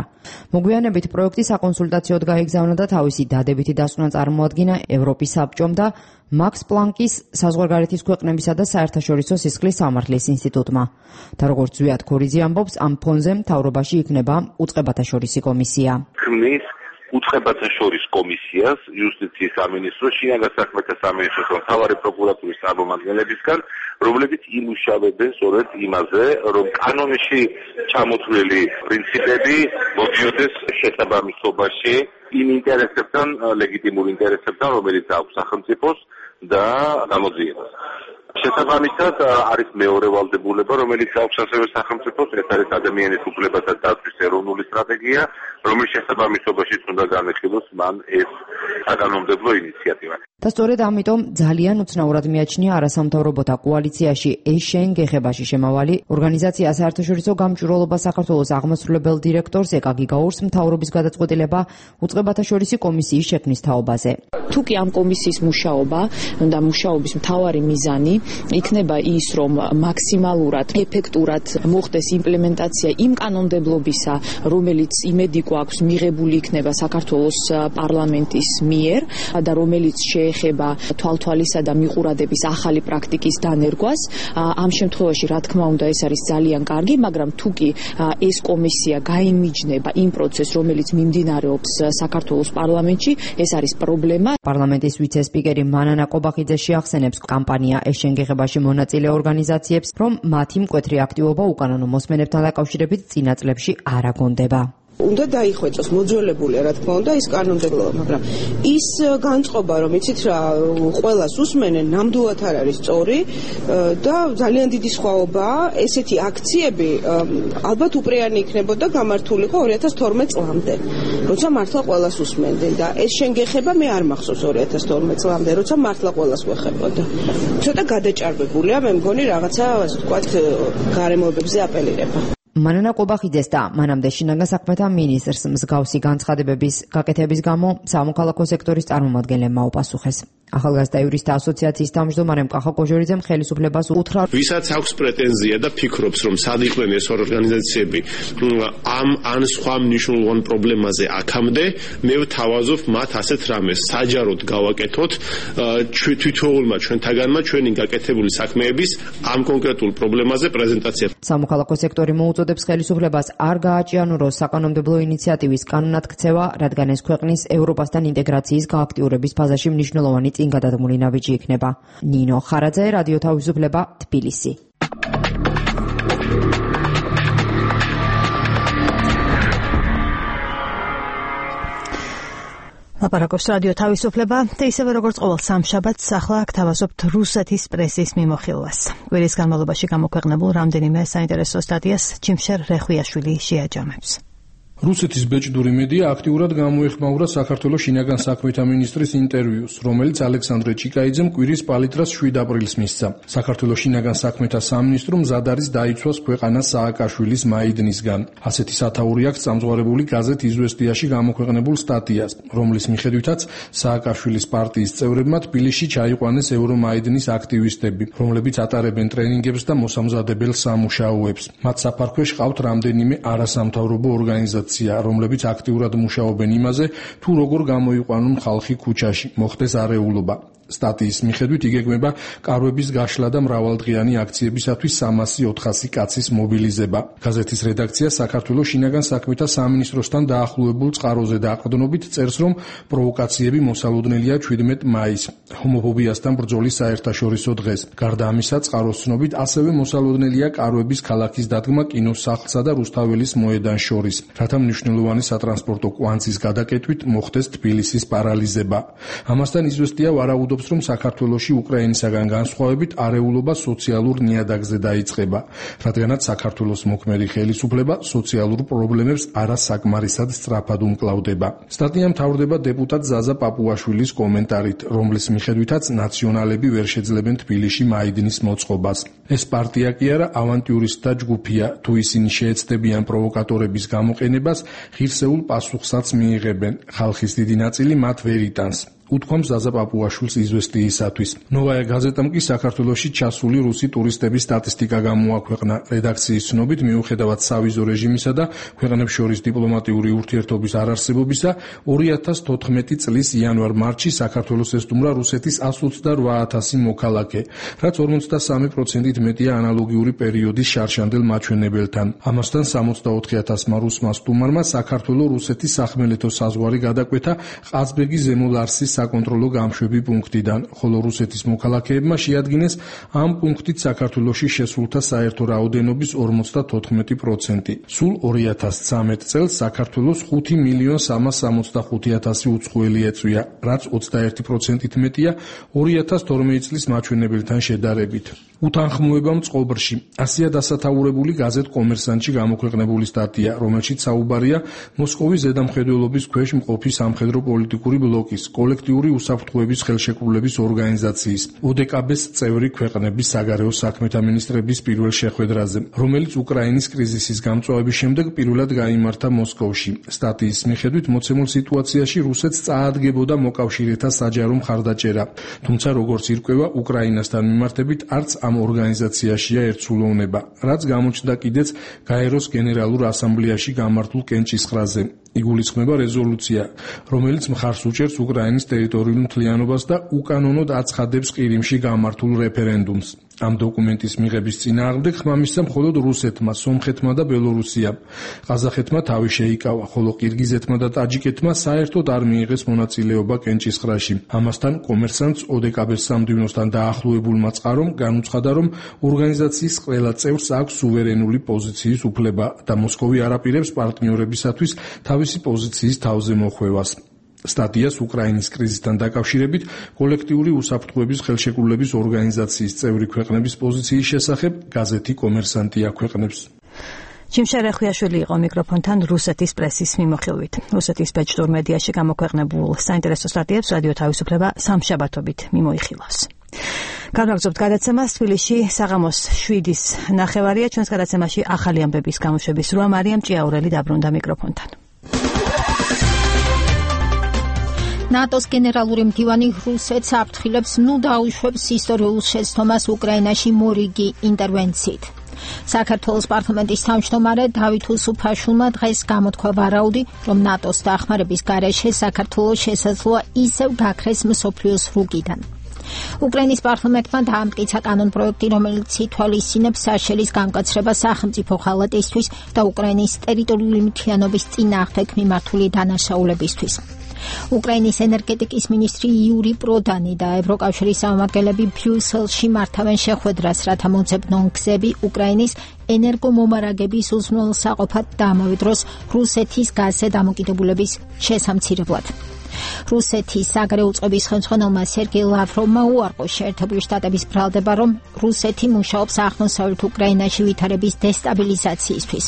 მოგვიანებით პროექტი საკონსულტაციოდ გაიგზავნა და თავისი დადებითი დასკვნა წარმოადგინა ევროპის საბჭომ და მაქს პლანკის საზღვარგარეთის ქვეყნებისა და საერთაშორისო სისხლის სამართლის ინსტიტუტმა. და როგორც ზვიად ქორიძე ამბობს, ამ ფონზე მთავრობაში იქნება უწყებათა შორისი კომისია. ქმნის უწყებათა შორის კომისიას იუსტიციის სამინისტროს, შინაგან საქმეთა სამინისტროს და მთავარი პროკურატურის წარმომადგენლებისგან, რომლებიც იმუშავებენ სწორედ იმაზე, რომ კანონში ჩამოთვლილი პრინციპები მოდიოდეს შესაბამისობაში იმ ინტერესებთან, ლეგიტიმურ ინტერესებთან, რომელიც აქვს სახელმწიფოს და გამოძიებას. შესაბამისად არის მეორე ვალდებულება, რომელიც აქვს ასევე სახელმწიფოს, ეს არის ადამიანის უფლებათა დაცვის ეროვნული სტრატეგია, რომლის შესაბამისობაში უნდა განეხილოს მან ეს საკანონმდებლო ინიციატივა. და სწორედ ამიტომ ძალიან უცნაურად მიაჩნია არასამთავრობოთა კოალიციაში ეს შენ გეხებაში შემავალი ორგანიზაცია საერთაშორისო გამჭვირვალობა საქართველოს აღმასრულებელ დირექტორს ეკაგი გაურს მთავრობის გადაწყვეტილება უწყებათა შორისი კომისიის შექმნის თაობაზე. თუ კი ამ კომისიის მუშაობა და მუშაობის მთავარი მიზანი იქნება ის, რომ მაქსიმალურად ეფექტურად მოხდეს იმპლემენტაცია იმ კანონმდებლობისა, რომელიც იმედი გვაქვს მიღებული იქნება საქართველოს პარლამენტის მიერ და რომელიც ეხება თვალთვალისა და მიყურადების ახალი პრაქტიკის დანერგვას. ამ შემთხვევაში, რა თქმა უნდა, ეს არის ძალიან კარგი, მაგრამ თუ კი ეს კომისია გაიმიჯნება იმ პროცესს, რომელიც მიმდინარეობს საქართველოს პარლამენტში, ეს არის პრობლემა. პარლამენტის ვიცე-სპიკერი მანანა კობახიძე შეახსენებს კამპანია ეს შენ გეხებაში მონაწილე ორგანიზაციებს, რომ მათი მკვეთრი აქტივობა უკანონო მოსმენებთან დაკავშირებით წინა წლებში არ აგონდება. უნდა დაიხვეწოს მოძველებულია რა თქმა უნდა ის კანონმდებლობა, მაგრამ ის განწყობა რომ იცით რა ყველას უსმენენ ნამდვილად არ არის სწორი და ძალიან დიდი სხვაობაა ესეთი აქციები ალბათ უპრეანი იქნებოდა გამართულიყო 2012 წლამდე როცა მართლა ყველას უსმენდნენ და ეს შენ გეხება მე არ მახსოვს 2012 წლამდე როცა მართლა ყველას ვეხებოდა ცოტა გადაჭარბებულია მე მგონი რაღაცა ასე ვთქვათ გარემოებებზე აპელირება მანანა ყობახიძეს და მანამდე შინაგან საქმეთა მინისტრს მსგავსი განცხადებების გაკეთების გამო სამოქალაქო სექტორის წარმომადგენლებმა უპასუხეს. ახალგაზრდა იურისტთა ასოციაციის თავმჯდომარე მკახა კოჟორიძემ ხელისუფლებას უთხრა, ვისაც აქვს პრეტენზია და ფიქრობს, რომ სად იყვნენ ეს ორგანიზაციები ამ ან სხვა მნიშვნელოვან პრობლემაზე აქამდე, მე ვთავაზობ მათ ასეთ რამეს, საჯაროდ გავაკეთოთ თვითოულმა ჩვენთაგანმა ჩვენი გაკეთებული საქმეების ამ კონკრეტულ პრობლემაზე პრეზენტაცია. სამოქალაქო სექტორი მოუწოდებს ხელისუფლებას არ გააჭიანუროს საკანონმდებლო ინიციატივის კანონად ქცევა, რადგან ეს ქვეყნის ევროპასთან ინტეგრაციის გააქტიურების ფაზაში მნიშვნელოვანი წინ გადადგმული ნაბიჯი იქნება. ნინო ხარაძე, რადიო თავისუფლება, თბილისი. ლაპარაკობს რადიო თავისუფლება და ისევე როგორც ყოველ სამშაბათს ახლა გთავაზობთ რუსეთის პრესის მიმოხილვას. კვირის განმავლობაში გამოქვეყნებულ რამდენიმე საინტერესო სტატიას ჩიმშერ რეხვიაშვილი შეაჯამებს. რუსეთის ბეჭდური მედია აქტიურად გამოეხმაურა საქართველოს შინაგან საქმეთა მინისტრის ინტერვიუს, რომელიც ალექსანდრე ჭიკაიძემ კვირის პალიტრას 7 აპრილს მისცა. საქართველოს შინაგან საქმეთა სამინისტრომ მზად არის დაიცვას ქვეყანა სააკაშვილის მაიდნისგან. ასეთი სათაური აქვს წამზღარებული გაზეთ „იზვესტიაში“ გამოქვეყნებულ სტატიას, რომლის მიხედვითაც სააკაშვილის პარტიის წევრებმა თბილისში ჩაიყვანეს ევრომაიდნის აქტივისტები, რომლებიც ატარებენ ტრენინგებს და მოსამზადებელ სამუშაოებს. მათ საფარქვეში ყავთ რამდენიმე არასამთავრობო ორგანიზაცია, რომლებიც აქტიურად მუშაობენ იმაზე, თუ როგორ გამოიყვანონ ხალხი ქუჩაში, მოხდეს არეულობა. სტატიის მიხედვით იგეგმება კარვების გაშლა და მრავალდღიანი აქციებისათვის 300-400 კაცის მობილიზება. გაზეთის რედაქცია საქართველოს შინაგან საქმეთა სამინისტროსთან დაახლოებულ წყაროზე დაყრდნობით წერს, რომ პროვოკაციები მოსალოდნელია 17 მაისს, ჰომოფობიასთან ბრძოლის საერთაშორისო დღეს. გარდა ამისა, წყაროს ცნობით ასევე მოსალოდნელია კარვების ქალაქის დადგმა კინოსახლსა და რუსთაველის მოედანს შორის, რათა მნიშვნელოვანი სატრანსპორტო კვანძის გადაკეთვით მოხდეს თბილისის პარალიზება. ამასთან იზვესტია ვარაუდობს, რომ საქართველოში უკრაინისაგან განსხვავებით არეულობა სოციალურ ნიადაგზე დაიწყება, რადგანაც საქართველოს მოქმედი ხელისუფლება სოციალურ პრობლემებს არასაკმარისად სწრაფად უმკლავდება. სტატია მთავრდება დეპუტატ ზაზა პაპუაშვილის კომენტარით, რომლის მიხედვითაც ნაციონალები ვერ შეძლებენ თბილისში მაიდნის მოწყობას. ეს პარტია კი არა ავანტიურისტთა ჯგუფია, თუ ისინი შეეცდებიან პროვოკატორების გამოყენებას, ღირსეულ პასუხსაც მიიღებენ. ხალხის დიდი ნაწილი მათ ვერ იტანს. უთქვამს ზაზა პაპუაშვილს იზვესტიისათვის. ნოვაია გაზეტამ კი საქართველოში ჩასული რუსი ტურისტების სტატისტიკა გამოაქვეყნა. რედაქციის ცნობით, მიუხედავად სავიზო რეჟიმისა და ქვეყნებს შორის დიპლომატიური ურთიერთობის არარსებობისა, 2014 წლის იანვარ-მარტში საქართველოს ესტუმრა რუსეთის 128,000 მოქალაქე, რაც 53%-ით მეტია ანალოგიური პერიოდის შარშანდელ მაჩვენებელთან. ამასთან 64,000 რუსმა სტუმარმა საქართველო-რუსეთის სახმელეთო საზღვარი გადაკვეთა ყაზბეგი ზემოლარსის საკონტროლო გამშვები პუნქტიდან, ხოლო რუსეთის მოქალაქეებმა შეადგინეს ამ პუნქტით საქართველოში შესულთა საერთო რაოდენობის 54%. სულ 2013 წელს საქართველოს 5,365,000 უცხოელი ეწვია, რაც 21%-ით მეტია 2012 წლის მაჩვენებელთან შედარებით. უთანხმოება მწყობრში. ასია დასათაურებული გაზეთ კომერსანტში გამოქვეყნებული სტატია, რომელშიც საუბარია მოსკოვის ზედამხედველობის ქვეშ მყოფი სამხედრო პოლიტიკური ბლოკის, კოლექტიური უსაფრთხოების ხელშეკრულების ორგანიზაციის, ODKB-ს წევრი ქვეყნების საგარეო საქმეთა მინისტრების პირველ შეხვედრაზე, რომელიც უკრაინის კრიზისის გამწვავების შემდეგ პირველად გაიმართა მოსკოვში. სტატიის მიხედვით მოცემულ სიტუაციაში რუსეთს წაადგებოდა მოკავშირეთა საჯარო მხარდაჭერა, თუმცა როგორც ირკვევა, უკრაინასთან მიმართებით არც ამ ორგანიზაციაშია ერთსულოვნება, რაც გამოჩნდა კიდეც გაეროს გენერალურ ასამბლეაში გამართულ კენჭისყრაზე. იგულისხმება რეზოლუცია, რომელიც მხარს უჭერს უკრაინის ტერიტორიულ მთლიანობას და უკანონოდ აცხადებს ყირიმში გამართულ რეფერენდუმს. ამ დოკუმენტის მიღების წინააღმდეგ ხმამისცა მხოლოდ რუსეთმა, სომხეთმა და ბელორუსიამ. ყაზახეთმა თავი შეიკავა, ხოლო ყირგიზეთმა და ტაჯიკეთმა საერთოდ არ მიიღეს მონაწილეობა კენჭისყრაში. ამასთან კომერსანტს ოდეკაბეს სამდივნოსთან დაახლოებულმა წყარომ განუცხადა, რომ ორგანიზაციის ყველა წევრს აქვს სუვერენული პოზიციის უფლება და მოსკოვი არ აპირებს პარტნიორებისათვის თავისი პოზიციის თავზე მოხვევას. სტატიას უკრაინის კრიზისთან დაკავშირებით კოლექტიური უსაფრთხოების ხელშეკრულების ორგანიზაციის წევრი ქვეყნების პოზიციის შესახებ გაზეთი კომერსანტი აქვეყნებს. ჩიმშარე ხვიაშვილი იყო მიკროფონთან რუსეთის პრესის მიმოხილვით. რუსეთის ბეჭდურ მედიაში გამოქვეყნებულ საინტერესო სტატიებს რადიო თავისუფლება სამშაბათობით მიმოიხილავს. განვაგრძობთ გადაცემას. თბილისში საღამოს 7-ის ნახევარია. ჩვენს გადაცემაში ახალი ამბების გამოშვების რვა მარიამ ჭიაურელი დაბრუნდა მიკროფონთან. ნატოს გენერალური მდივანი რუსეთს აფრთხილებს დაუშვებს ისტორიულ შეცდომას უკრაინაში მორიგი ინტერვენციით. საქართველოს პარლამენტის თავმჯდომარე დავით უსუფაშვილმა დღეს გამოთქვა ვარაუდი, რომ ნატოს დახმარების გარეშე საქართველოს შესაძლოა ისევ გაქრეს მსოფლიოს რუგიდან. უკრაინის პარლამენტმა დაამტკიცა კანონპროექტი, რომელიც ითვალისწინებს საშელის გამკაცრებას სახელმწიფო ხალატისთვის და უკრაინის ტერიტორიული მთლიანობის წინააღმდეგ მიმართული დანაშაულებისთვის. უკრაინის ენერგეტიკის მინისტრი იური პროდანი და ევროკავშირის წარმომადგენლები ბრიუსელში მართავენ შეხვედრას, რათა მოძებნონ გზები უკრაინის ენერგომომარაგების უზრუნველსაყოფად და ამავე დროს რუსეთის გაზზე დამოკიდებულების შესამცირებლად. რუსეთის საგარეო უწყების ხელმძღვანელმა სერგეი ლავროვმა უარყო შეერთებული შტატების ბრალდება, რომ რუსეთი მუშაობს აღმოსავლეთ უკრაინაში ვითარების დესტაბილიზაციისთვის.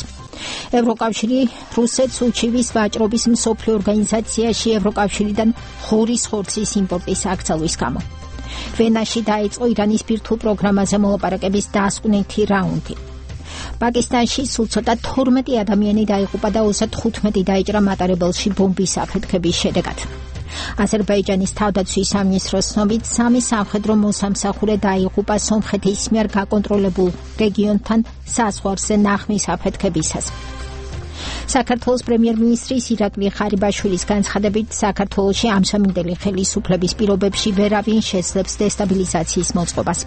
ევროკავშირი რუსეთს უჩივის ვაჭრობის მსოფლიო ორგანიზაციაში ევროკავშირიდან ღორის ხორცის იმპორტის აკრძალვის გამო. ვენაში დაიწყო ირანის ბირთვულ პროგრამაზე მოლაპარაკების დასკვნითი რაუნდი. პაკისტანში სულ ცოტა 12 ადამიანი დაიღუპა და 35 დაიჭრა მატარებელში ბომბის აფეთქების შედეგად. აზერბაიჯანის თავდაცვის სამინისტროს ცნობით 3 სამხედრო მოსამსახურე დაიღუპა სომხეთის მიერ გაკონტროლებულ რეგიონთან საზღვარზე ნახმის აფეთქებისას. საქართველოს პრემიერ-მინისტრის ირაკლი ხარიბაშვილის განცხადებით, საქართველოში ამჟამინდელი ხელისუფლების პირობებში ვერავინ შეძლებს დესტაბილიზაციის მოწყობას.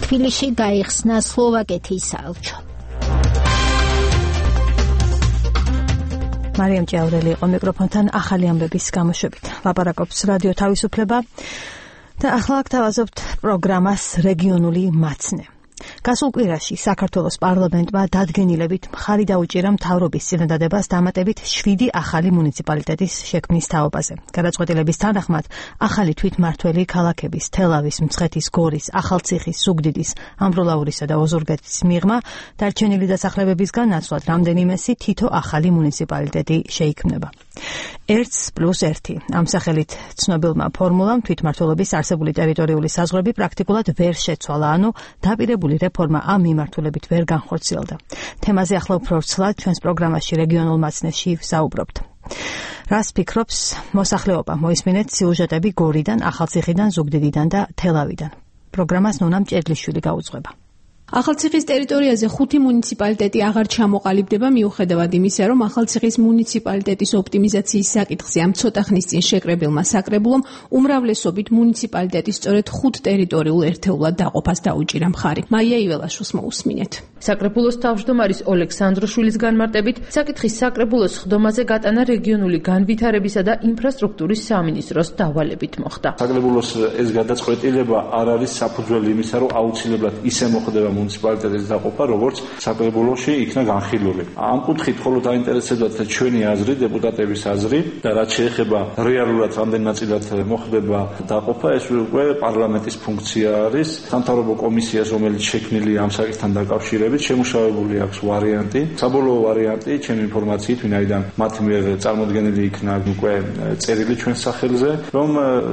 თბილისში გაიხსნა სლოვაკეთის საელჩო. მარიამ ჭიაურელი იყო მიკროფონთან ახალი ამბების გამოშვებით. ლაპარაკობს რადიო თავისუფლება და ახლა გთავაზობთ პროგრამას რეგიონული მაცნე. გასულ კვირაში საქართველოს პარლამენტმა დადგენილებით მხარი დაუჭირა მთავრობის წინადადებას დამატებით 7 ახალი მუნიციპალიტეტის შექმნის თაობაზე. გადაწყვეტილების თანახმად ახალი თვითმმართველი ქალაქების თელავის, მცხეთის, გორის, ახალციხის, ზუგდიდის, ამბროლაურისა და ოზურგეთის მიღმა დარჩენილი დასახლებებისგან ნაცვლად რამდენიმესი თითო ახალი მუნიციპალიტეტი შეიქმნება. 1+1 ამ სახელით ცნობილმა ფორმულამ თვითმმართველობის არსებული ტერიტორიული საზღვრები პრაქტიკულად ვერ შეცვალა, ანუ დაპირებული რეფორმა ამ მიმართულებით ვერ განხორციელდა. თემაზე ახლა უფრო ვრცლად ჩვენს პროგრამაში რეგიონულ მაცნეში ვსაუბრობთ. რას ფიქრობს მოსახლეობა? მოისმინეთ სიუჟეტები გორიდან, ახალციხიდან, ზუგდიდიდან და თელავიდან. პროგრამას ნონა მჭედლიშვილი გაუძღვება. ახალციხის ტერიტორიაზე 5 მუნიციპალიტეტი აღარ ჩამოყალიბდება, მიუხედავად იმისა, რომ ახალციხის მუნიციპალიტეტის ოპტიმიზაციის საკითხზე ამ ცოტა ხნის წინ შეკრებილმა საკრებულომ უმრავლესობით მუნიციპალიტეტის სწორედ 5 ტერიტორიულ ერთეულად დაყოფას დაუჭირა მხარი. მაია იველაშვილს მოусმინეთ. საკრებულოს თავმჯდომარის ოლექსანდროშვილის განმარტებით, საკითხის საკრებულოს ხდომაზე გატანა რეგიონული განვითარებისა და ინფრასტრუქტურის სამინისტროს დავალებით მოხდა. საკრებულოს ეს გადაწყვეტილება არ არის საფუძველი იმისა, რომ აუცილებლად ისე მოხდება მუნიციპალიტეტის დაყოფა, როგორც საკრებულოში იქნა განხილული. ამ კუთხით მხოლოდ დაინტერესებდათ ჩვენი აზრი, დეპუტატების აზრი და რაც შეეხება რეალურად რამდენ ნაწილად მოხდება დაყოფა, ეს უკვე პარლამენტის ფუნქცია არის. სამთავრობო კომისიას, რომელიც შექმნილი ამ საკითხთან დაკავშირებით, შემუშავებული აქვს ვარიანტი. საბოლოო ვარიანტი, ჩემი ინფორმაციით, ვინაიდან მათ მიერ წარმოდგენილი იქნა უკვე წერილი ჩვენს სახელზე, რომ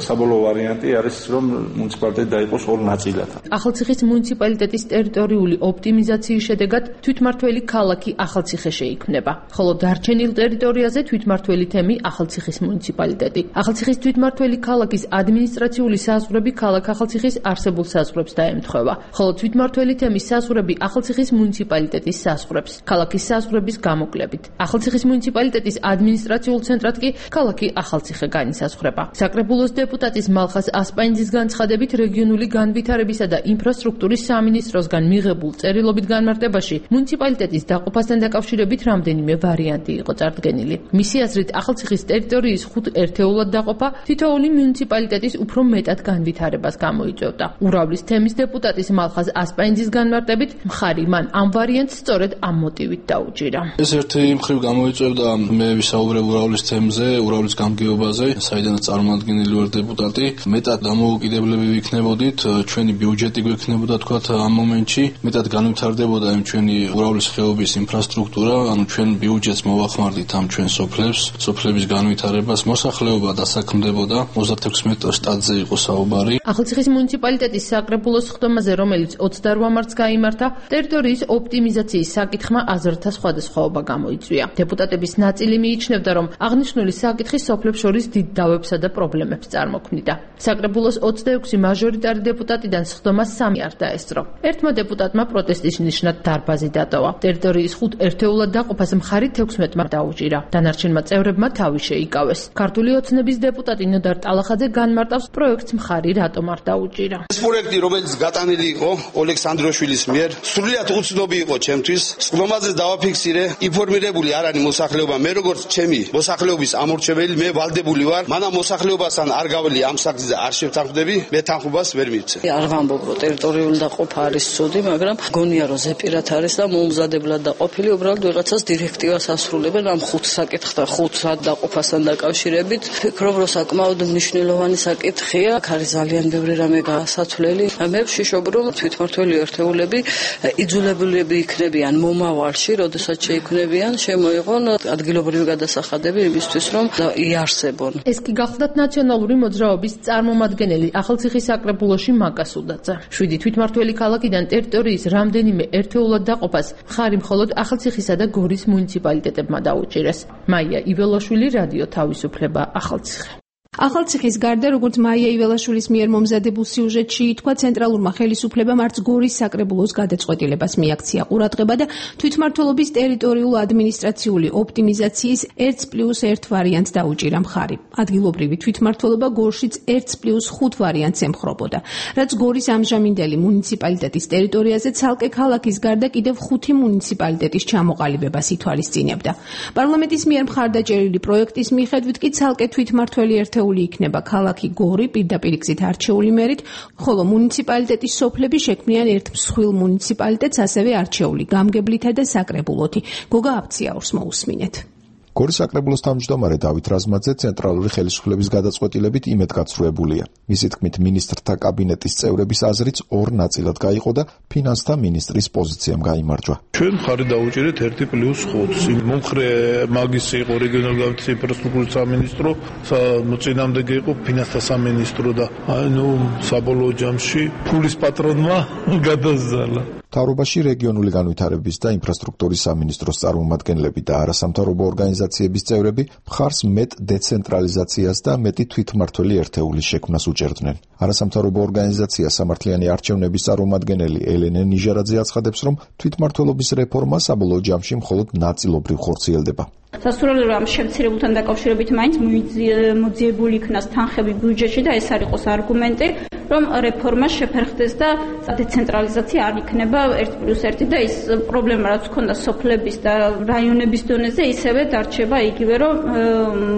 საბოლოო ვარიანტი არის, რომ მუნიციპალიტეტი დაიყოს 2 ნაწილად. ახალციხის მუნიციპალიტეტის ტერიტორიული ოპტიმიზაციის შედეგად თვითმმართველი ქალაქი ახალციხე შეიქმნება, ხოლო დარჩენილ ტერიტორიაზე თვითმმართველი თემი ახალციხის მუნიციპალიტეტი. ახალციხის თვითმმართველი ქალაქის ადმინისტრაციული საზღვრები ქალაქ ახალციხის არსებულ საზღვრებს დაემთხვევა, ხოლო თვითმმართველი თემის საზღვრები ახალციხის ახალციხის მუნიციპალიტეტის საზღვრებს, ქალაქის საზღვრების გამოკლებით. ახალციხის მუნიციპალიტეტის ადმინისტრაციულ ცენტრად კი ქალაქი ახალციხე განისაზღვრება. საკრებულოს დეპუტატის მალხას ასპაინძის განცხადებით რეგიონული განვითარებისა და ინფრასტრუქტურის სამინისტროსგან მიღებულ წერილობით განმარტებაში მუნიციპალიტეტის დაყოფასთან დაკავშირებით რამდენიმე ვარიანტი იყო წარდგენილი. მისი აზრით, ახალციხის ტერიტორიის 5 ერთეულად დაყოფა თითოეული მუნიციპალიტეტის უფრო მეტად განვითარებას გამოიწვევდა. ურავლის თემის დეპუტატის მალხას ასპაინძის განმარტებით მხარი მან ამ ვარიანტს სწორედ ამ მოტივით დაუჭირა. ეს ერთი მხრივ გამოიწვევდა მე ვისაუბრებ ურავლის თემზე, ურავლის გამგეობაზე, საიდანაც წარმომადგენელი ვარ დეპუტატი, მეტად დამოუკიდებლები ვიქნებოდით, ჩვენი ბიუჯეტი გვექნებოდა თქვათ ამ მომენტში, მეტად განვითარდებოდა იმ ჩვენი ურავლის ხეობის ინფრასტრუქტურა, ანუ ჩვენ ბიუჯეტს მოვახმარდით ამ ჩვენ სოფლებს, სოფლების განვითარებას, მოსახლეობა დასაქმდებოდა, 36 შტატზე იყო საუბარი. ახალციხის მუნიციპალიტეტის საკრებულოს ხდომაზე, რომელიც 28 მარტს გაიმართა, ტერიტორიის ოპტიმიზაციის საკითხმა აზრთა სხვადასხვაობა გამოიწვია. დეპუტატების ნაწილი მიიჩნევდა, რომ აღნიშნული საკითხი სოფლებს შორის დიდ დავებსა და პრობლემებს წარმოქმნიდა. საკრებულოს 26 მაჟორიტარი დეპუტატიდან სხდომას 3 არ დაესწრო. ერთმა დეპუტატმა პროტესტის ნიშნად დარბაზი დატოვა. ტერიტორიის 5 ერთეულად დაყოფას მხარი 16-მა დაუჭირა. დანარჩენმა წევრებმა თავი შეიკავეს. ქართული ოცნების დეპუტატი ნოდარ ტალახაძე განმარტავს პროექტს მხარი რატომ არ დაუჭირა. ეს პროექტი, რომელიც გატანილი იყო ოლექსანდროშვილის მიერ, სრულიად უცნობი იყო ჩემთვის. სხდომაზე დავაფიქსირე, ინფორმირებული არ არის მოსახლეობა. მე როგორც ჩემი მოსახლეობის ამორჩეველი, მე ვალდებული ვარ. მანამ მოსახლეობასთან არ გაველი ამ საკითხზე არ შევთანხმდები, მე თანხმობას ვერ მივცე. არ ვამბობ, რომ ტერიტორიული დაყოფა არის ცუდი, მაგრამ გონია რომ ზეპირად არის და მოუმზადებლად დაყოფილი, უბრალოდ ვიღაცას დირექტივას ასრულებენ ამ 5 საკითხთან, 5 დაყოფასთან დაკავშირებით. ფიქრობ, რომ საკმაოდ მნიშვნელოვანი საკითხია, აქ არის ძალიან ბევრი რამე გასაცვლელი. მე ვშიშობ, რომ თვითმმართველი ერთეულები იძულებულები იქნებიან მომავალში, როდესაც შეიქმნებიან, შემოიღონ ადგილობრივი გადასახადები იმისთვის, რომ იარსებონ. ეს კი გახლდათ ნაციონალური მოძრაობის წარმომადგენელი ახალციხის საკრებულოში მაკას უდაძე. 7 თვითმმართველი ქალაქიდან ტერიტორიის რამდენიმე ერთეულად დაყოფას მხარი მხოლოდ ახალციხისა და გორის მუნიციპალიტეტებმა დაუჭირეს. მაია იველაშვილი, რადიო თავისუფლება, ახალციხე. ახალციხის გარდა, როგორც მაია იველაშვილის მიერ მომზადებულ სიუჟეტში ითქვა, ცენტრალურმა ხელისუფლებამ არც გორის საკრებულოს გადაწყვეტილებას მიაქცია ყურადღება და თვითმმართველობის ტერიტორიულ ადმინისტრაციული ოპტიმიზაციის 1+1 ვარიანტს დაუჭირა მხარი. ადგილობრივი თვითმმართველობა გორშიც 1+5 ვარიანტს ემხრობოდა, რაც გორის ამჟამინდელი მუნიციპალიტეტის ტერიტორიაზე ცალკე ქალაქის გარდა კიდევ 5 მუნიციპალიტეტის ჩამოყალიბებას ითვალისწინებდა. პარლამენტის მიერ მხარდაჭერილი პროექტის მიხედვით კი ცალკე თვითმმართველი ერთეული იქნება ქალაქი გორი პირდაპირ გზით არჩეული მერით, ხოლო მუნიციპალიტეტის სოფლები შექმნიან ერთ მსხვილ მუნიციპალიტეტს, ასევე არჩეული გამგებლითა და საკრებულოთი. გოგა აფციაურს მოусმინეთ. გორის საკრებულოს თავმჯდომარე დავით რაზმაძე ცენტრალური ხელისუფლების გადაწყვეტილებით იმედგაცრუებულია. მისი თქმით, მინისტრთა კაბინეტის წევრების აზრიც 2 ნაწილად გაიყო და ფინანსთა მინისტრის პოზიციამ გაიმარჯვა. ჩვენ მხარი დაუჭირეთ 1+5-ს. მომხრე მაგისი იყო რეგიონალური განვითარების ინფრასტრუქტურის სამინისტრო, წინამდე იყო ფინანსთა სამინისტრო და საბოლოო ჯამში ფულის პატრონმა გადაზალა. მთავრობაში რეგიონული განვითარების და ინფრასტრუქტურის სამინისტროს წარმომადგენლები და არასამთავრობო ორგანიზაციების წევრები მხარს მეტ დეცენტრალიზაციას და მეტი თვითმმართველი ერთეულის შექმნას უჭერდნენ. არასამთავრობო ორგანიზაცია სამართლიანი არჩევნების წარმომადგენელი ელენე ნიჟარაძე აცხადებს, რომ თვითმმართველობის რეფორმა საბოლოო ჯამში მხოლოდ ნაწილობრივ ხორციელდება. სასურველია რომ შემცირებულთან დაკავშირებით მაინც მოძიებული იქნას თანხები ბიუჯეტში და ეს არ იყოს არგუმენტი, რომ რეფორმა შეფერხდეს და დეცენტრალიზაცია არ იქნება 1+1 და ის პრობლემა რაც ჰქონდა სოფლების და რაიონების დონეზე ისევე დარჩება იგივე, რომ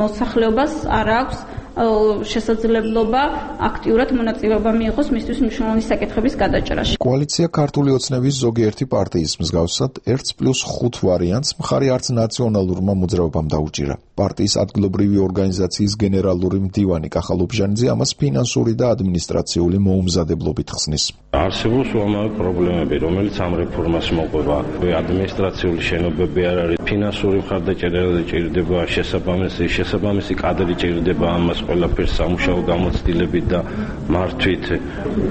მოსახლეობას არ აქვს შესაძლებლობა აქტიურად მონაწილეობა მიიღოს მისთვის მნიშვნელოვანი საკითხების გადაჭრაში. კოალიცია ქართული ოცნების ზოგიერთი პარტიის მსგავსად 1+5 ვარიანტს მხარი არც ნაციონალურმა მოძრაობამ დაუჭირა. პარტიის ადგილობრივი ორგანიზაციის გენერალური მდივანი კახალ უბჟანიძე ამას ფინანსური და ადმინისტრაციული მოუმზადებლობით ხსნის. არსებობს უამრავი პრობლემები, რომელიც ამ რეფორმას მოყვება. ადმინისტრაციული შენობები არ არის, ფინანსური მხარდაჭერა ჭირდება, შესაბამისი კადრი ჭირდება ამას ყველაფერს სამუშაო გამოცდილებით და მართვით.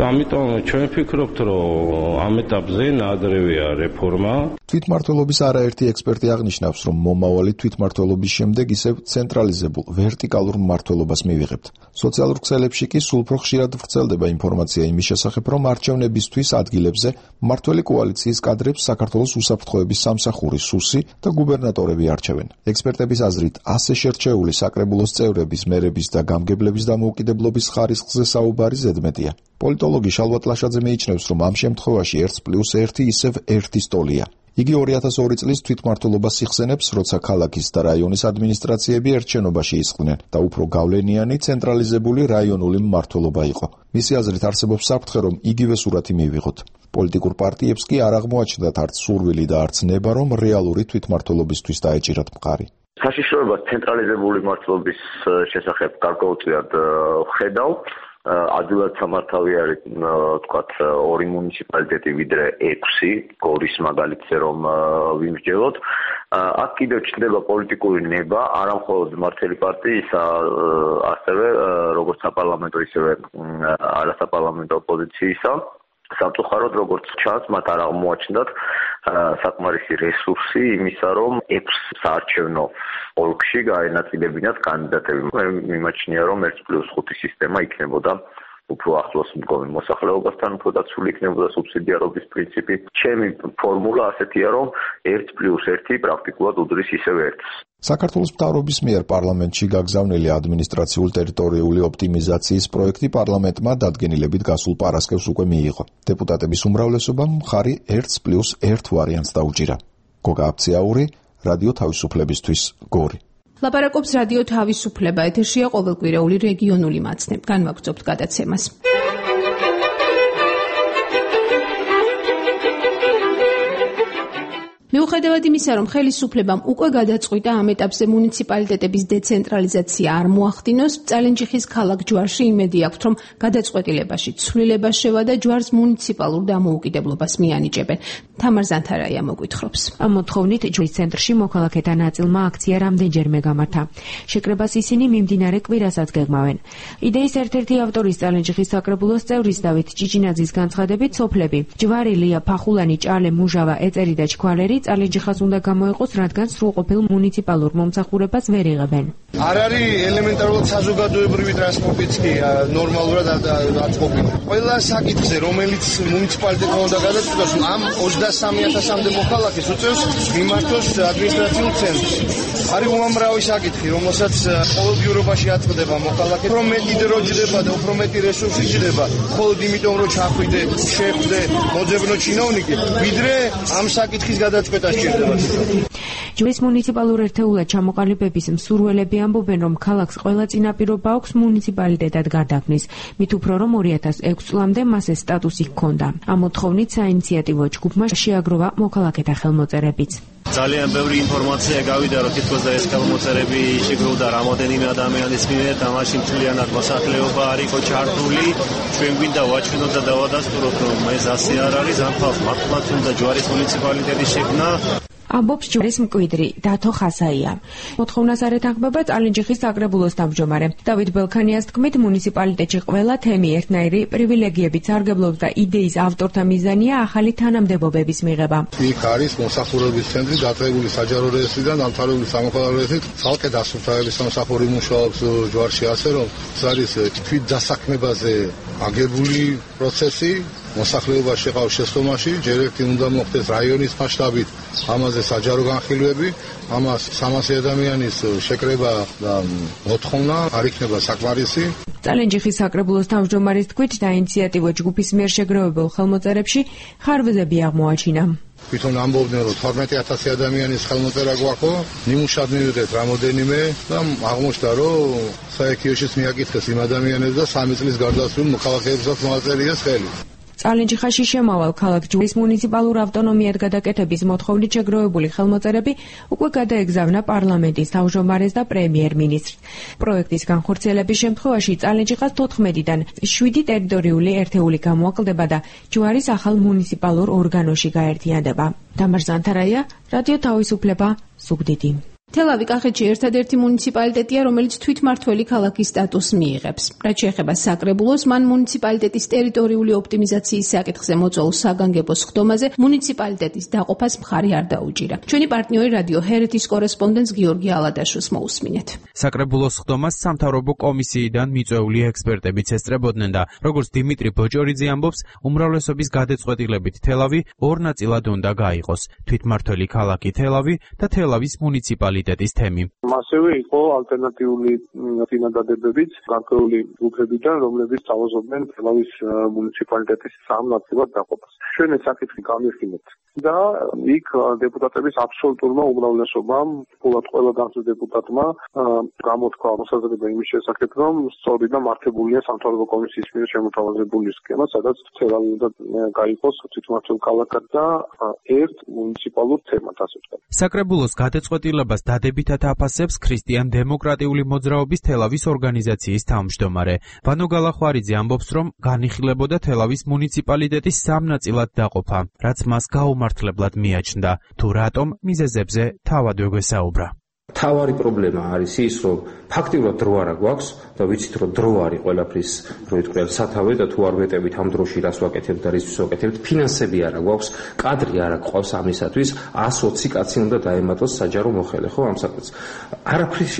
ამიტომ ჩვენ ვფიქრობთ, რომ ამ ეტაპზე ნაადრევია რეფორმა. თვითმმართველობის არაერთი ექსპერტი აღნიშნავს, რომ მომავალი თვითმმართველობის შემდეგ ისევ ცენტრალიზებულ ვერტიკალურ მმართველობას მივიღებთ. სოციალურ ქსელებში კი სულ უფრო ხშირად ვრცელდება ინფორმაცია იმის შესახებ, რომ არჩევნებისთვის ადგილებზე მმართველი კოალიციის კადრებს საქართველოს უსაფრთხოების სამსახური სუსი და გუბერნატორები არჩევენ. ექსპერტების აზრით, ასე შერჩეული საკრებულოს წევრების, მერების და გამგებლების დამოუკიდებლობის ხარისხზე საუბარი ზედმეტია. პოლიტოლოგი შალვა ტლაშაძე მიიჩნევს, რომ ამ შემთხვევაში 1+1 ისევ 1 ტოლია. იგი 2002 წლის თვითმმართველობას იხსენებს, როცა ქალაქის და რაიონის ადმინისტრაციები ერთ შენობაში ისხდნენ და უფრო გავლენიანი ცენტრალიზებული რაიონული მმართველობა იყო. მისი აზრით არსებობს საფრთხე, რომ იგივე სურათი მივიღოთ. პოლიტიკურ პარტიებს კი არ აღმოაჩნდათ არც სურვილი და არც ნება, რომ რეალური თვითმმართველობისთვის დაეჭირათ მყარი. საშიშროებას ცენტრალიზებული მმართველობის შესახებ გარკვეულწილად ხედავ. ადვილად სამართავი არის თქვათ 2 მუნიციპალიტეტი ვიდრე 6 გორის მაგალითზე რომ ვიმსჯელოთ. აქ კიდევ ჩნდება პოლიტიკური ნება არა მხოლოდ მმართველი პარტიისა, ასევე როგორც საპარლამენტო ისევე არასაპარლამენტო ოპოზიციისა. სამწუხაროდ როგორც ჩანს, მათ არ აღმოაჩნდათ საკმარისი რესურსი იმისა, რომ 6 საარჩევნო ოლქში გაენაწილებინათ კანდიდატები. მე მიმაჩნია, რომ 1+5 სისტემა იქნებოდა უფრო ახლოს მდგომი მოსახლეობასთან, უფრო დაცული იქნებოდა სუბსიდიარობის პრინციპი. ჩემი ფორმულა ასეთია, რომ 1+1 პრაქტიკულად უდრის ისევ 1-ს. საქართველოს მთავრობის მიერ პარლამენტში გაგზავნილი ადმინისტრაციულ-ტერიტორიული ოპტიმიზაციის პროექტი პარლამენტმა დადგენილებით გასულ პარასკევს უკვე მიიღო. დეპუტატების უმრავლესობამ მხარი 1+1 ვარიანტს დაუჭირა. გოგა აფციაური, რადიო თავისუფლებისთვის, გორი. ლაპარაკობს რადიო თავისუფლება, ეთერშია ყოველკვირეული რეგიონული მაცნე. განვაგრძობთ გადაცემას. მიუხედავად იმისა, რომ ხელისუფლებამ უკვე გადაწყვიტა ამ ეტაპზე მუნიციპალიტეტების დეცენტრალიზაცია არ მოახდინოს, წალენჯიხის ქალაქ ჯვარში იმედი აქვთ, რომ გადაწყვეტილებაში ცვლილება შევა და ჯვარს მუნიციპალურ დამოუკიდებლობას მიანიჭებენ. თამარ ზანთარაია მოგვითხრობს. ამ მოთხოვნით ჯვრის ცენტრში მოქალაქეთა ნაწილმა აქცია რამდენჯერმე გამართა. შეკრებას ისინი მიმდინარე კვირასაც გეგმავენ. იდეის ერთ-ერთი ავტორის წალენჯიხის საკრებულოს წევრის დავით ჭიჭინაძის განცხადებით, სოფლები ჯვარი, ლია, ფახულანი, ჭალე, მუჟავა, ეწერი და ჩქვალერი წალენჯიხას უნდა გამოიყოს, რადგან სრულყოფილ მუნიციპალურ მომსახურებას ვერ იღებენ. არ არის ელემენტარულად საზოგადოებრივი ტრანსპორტიც კი ნორმალურად აწყობილი. ყველა საკითხზე, რომელიც მუნიციპალიტეტმა უნდა გადაწყვიტოს, ამ 23,000-მდე მოქალაქეს უწევს მიმართოს ადმინისტრაციულ ცენტრს. არის უამრავი საკითხი, რომელსაც ყოველდღიურობაში აწყდება მოქალაქე, უფრო მეტი დრო ჯდება და უფრო მეტი რესურსი ჯდება, მხოლოდ იმიტომ, რომ ჩახვიდე, შეხვდე მოძებნო ჩინოვნიკი, ვიდრე ამ საკითხის გადაწყვეტა სჭირდება. ჯვრის მუნიციპალურ ერთეულად ჩამოყალიბების მსურველები ამბობენ, რომ ქალაქს ყველა წინაპირობა აქვს მუნიციპალიტეტად გარდაქმნის, მით უფრო რომ 2006 წლამდე მას ეს სტატუსი ჰქონდა. ამ მოთხოვნით საინიციატივო ჯგუფმა შეაგროვა მოქალაქეთა ხელმოწერებიც. ძალიან ბევრი ინფორმაცია გავიდა, რომ თითქოს და ეს ხელმოწერები შეგროვდა რამოდენიმე ადამიანის მიერ და მაშინ მთლიანად მოსახლეობა არისო ჩართული. ჩვენ გვინდა ვაჩვენოთ და დავადასტუროთ, რომ ეს ასე არ არის, ამ ხალხს მართლაც უნდა ჯვარის მუნიციპალიტეტის შექმნა. ამბობს ჯვრის მკვიდრი დათო ხასაია. მოთხოვნას არ ეთანხმება წალენჯიხის საკრებულოს თავმჯდომარე. დავით ბელქანიას თქმით, მუნიციპალიტეტში ყველა თემი ერთნაირი პრივილეგიებით სარგებლობს და იდეის ავტორთა მიზანია ახალი თანამდებობების მიღება. იქ არის მოსახურების ცენტრი დაწყებული საჯარო რეესტრიდან დამთავრებული სამოქალაქო რეესტრით, ცალკე დასუფთავების სამსახური მუშაობს ჯვარში, ასე რომ ეს არის თვით დასაქმებაზე აგებული პროცესი. მოსახლეობა შეყავს შესხომაში, ჯერ ერთი უნდა მოხდეს რაიონის მასშტაბით, ამაზე საჯარო განხილვები, ამას 300 ადამიანის შეკრება და მოთხოვნა არ იქნება საკმარისი. წალენჯიხის საკრებულოს თავმჯდომარის თქმით, დაინიციატივო ჯგუფის მიერ შეგროვებულ ხელმოწერებში ხარვეზები აღმოაჩინა. თვითონ ამბობდნენ, რომ 12,000 ადამიანის ხელმოწერა გვაქვს, ნიმუშად მივიღეთ რამოდენიმე და აღმოჩნდა, რომ საექიოშიც მიაკითხეს იმ ადამიანებს და 3 წლის გარდაცვლილ მოქალაქეებსაც მოაწერიეს ხელი. წალენჯიხაში შემავალ ქალაქ ჯვრის მუნიციპალურ ავტონომიად გადაკეთების მოთხოვნით შეგროვებული ხელმოწერები უკვე გადაეგზავნა პარლამენტის თავმჯდომარეს და პრემიერ-მინისტრს. პროექტის განხორციელების შემთხვევაში წალენჯიხას 14-დან 7 ტერიტორიული ერთეული გამოაკლდება და ჯვარის ახალ მუნიციპალურ ორგანოში გაერთიანდება. თამარ ზანთარაია, რადიო თავისუფლება, ზუგდიდი. თელავი კახეთში ერთადერთი მუნიციპალიტეტია, რომელიც თვითმმართველი ქალაქის სტატუსს მიიღებს. რაც შეეხება საკრებულოს, მან მუნიციპალიტეტის ტერიტორიული ოპტიმიზაციის საკითხზე მოწვეულ საგანგებო სხდომაზე მუნიციპალიტეტის დაყოფას მხარი არ დაუჭირა. ჩვენი პარტნიორი რადიო ჰერეთის კორესპონდენტს გიორგი ალადაშვილს მოусმინეთ. საკრებულოს სხდომას სამთავრობო კომისიიდან მიწვეული ექსპერტებიც ესწრებოდნენ და როგორც დიმიტრი ბოჭორიძე ამბობს, უმრავლესობის გადაწყვეტილებით თელავი ორ ნაწილად უნდა გაიყოს: თვითმმართველი ქალაქი თელავი და თელავის მუნიციპალიტეტის თემი. ასევე იყო ალტერნატიული წინადადებებიც გარკვეული ჯგუფებიდან, რომლებიც თავაზობდნენ თელავის მუნიციპალიტეტის სამ ნაწილად დაყოფას. ჩვენ ეს საკითხი გამიხსენეთ და იქ დეპუტატების აბსოლუტურმა უმრავლესობამ, ფულად ყველა განცდა დეპუტატმა გამოთქვა მოსაზრება იმის შესახებ, რომ სწორი და მართებულია სამთავრობო კომისიის მიერ შემოთავაზებული სქემა, სადაც თელავი უნდა გაიყოს თვითმმართველ ქალაქად და ერთ მუნიციპალურ თემად, ასე ვთქვათ. საკრებულოს გადაწყვეტილებას დადებითად აფასებს ქრისტიან-დემოკრატიული მოძრაობის თელავის ორგანიზაციის თავმჯდომარე. ვანო გალახვარიძე ამბობს, რომ განიხილებოდა თელავის მუნიციპალიტეტის სამ ნაწილად დაყოფა, რაც მას გაუმართლებლად მიაჩნდა. თუ რატომ მიზეზებზე თავად ვეგვესაუბრა. თავარი პრობლემა არის ის, რომ ფაქტიურად დრო არა გვაქვს და ვიცით, რომ დრო არის ყველაფრის, რო იტყვიან, სათავე და თუ არ ვეტებით ამ დროში რას ვაკეთებთ და რისთვის ვაკეთებთ, ფინანსები არა გვაქვს, კადრი არა გვყავს ამისათვის, 120 კაცი უნდა დაემატოს საჯარო მოხელე, ხო, ამ საქმეს.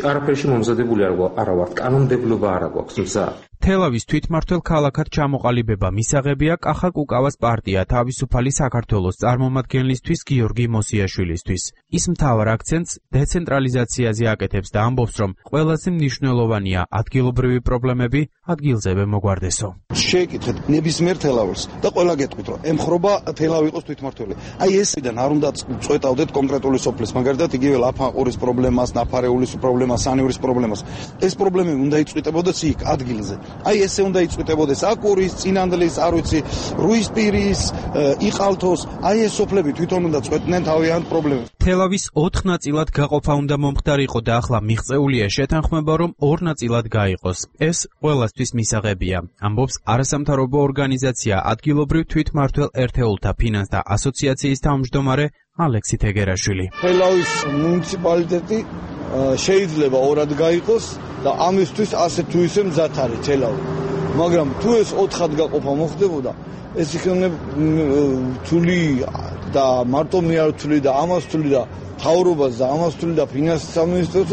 არაფერში მომზადებული არა ვართ, კანონმდებლობა არა გვაქვს მზა. თელავის თვითმმართველ ქალაქად ჩამოყალიბება მისაღებია კახა კუკავას პარტია თავისუფალი საქართველოს წარმომადგენლისთვის გიორგი მოსიაშვილისთვის. ის მთავარ აქცენტს დეცენტრალიზაციაზე აკეთებს და ამბობს, რომ ყველაზე მნიშვნელოვანია ადგილობრივი პრობლემები ადგილზევე მოგვარდესო. შეეკითხეთ ნებისმიერ თელავურს და ყველა გეტყვით, რომ ემხრობა თელავი იყოს თვითმმართველი. აი ესიდან არ უნდა წვეტავდეთ კონკრეტული სოფლის, მაგალითად იგივე ლაფანყურის პრობლემას, ნაფარეულის პრობლემას, სანიურის პრობლემას. ეს პრობლემები უნდა იწვიტებოდეს იქ ადგილზე. აი ესე უნდა იწვიტებოდეს აკურის, წინანდლის, არ ვიცი, რუისპირის, იყალთოს, აი ეს სოფლები თვითონ უნდა წვეტდნენ თავიანთ პრობლემებს. თელავის 4 ნაწილად გაყოფა უნდა მომხდარიყო და ახლა მიღწეულია შეთანხმება, რომ 2 ნაწილად გაიყოს. ეს ყველასთვის მისაღებია, ამბობს არასამთავრობო ორგანიზაცია ადგილობრივ თვითმმართველ ერთეულთა ფინანსთა ასოციაციის თავმჯდომარე ალექსი თეგერაშვილი. თელავის მუნიციპალიტეტი შეიძლება ორად გაიყოს და ამისთვის ასე თუ ისე მზად არის თელავი. მაგრამ თუ ეს 4-ად გაყოფა მოხდებოდა, ეს იქნება რთული და მარტო მე არ რთული და ამას რთული და თავრობას და ამას რთული და ფინანსის სამინისტროს,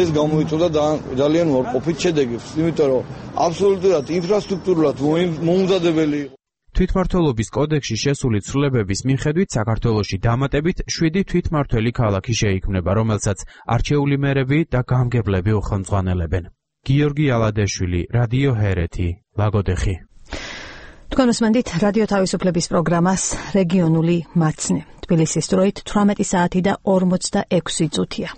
ეს გამოიწვია ძალიან უარყოფით შედეგებს, იმიტომ რომ აბსოლუტურად ინფრასტრუქტურულად მომზადებელი იყო. თვითმმართველობის კოდექსში შესული ცვლილებების მიხედვით საქართველოში დამატებით 7 თვითმმართველი ქალაქი შეიქმნება, რომელსაც არჩეული მერები და გამგებლები უხელმძღვანელებენ. გიორგი ალადაშვილი, რადიო ჰერეთი, ლაგოდეხი. თქვენ უსმენთ რადიო თავისუფლების პროგრამას რეგიონული მაცნე. თბილისის დროით 18 საათი და 46 წუთია.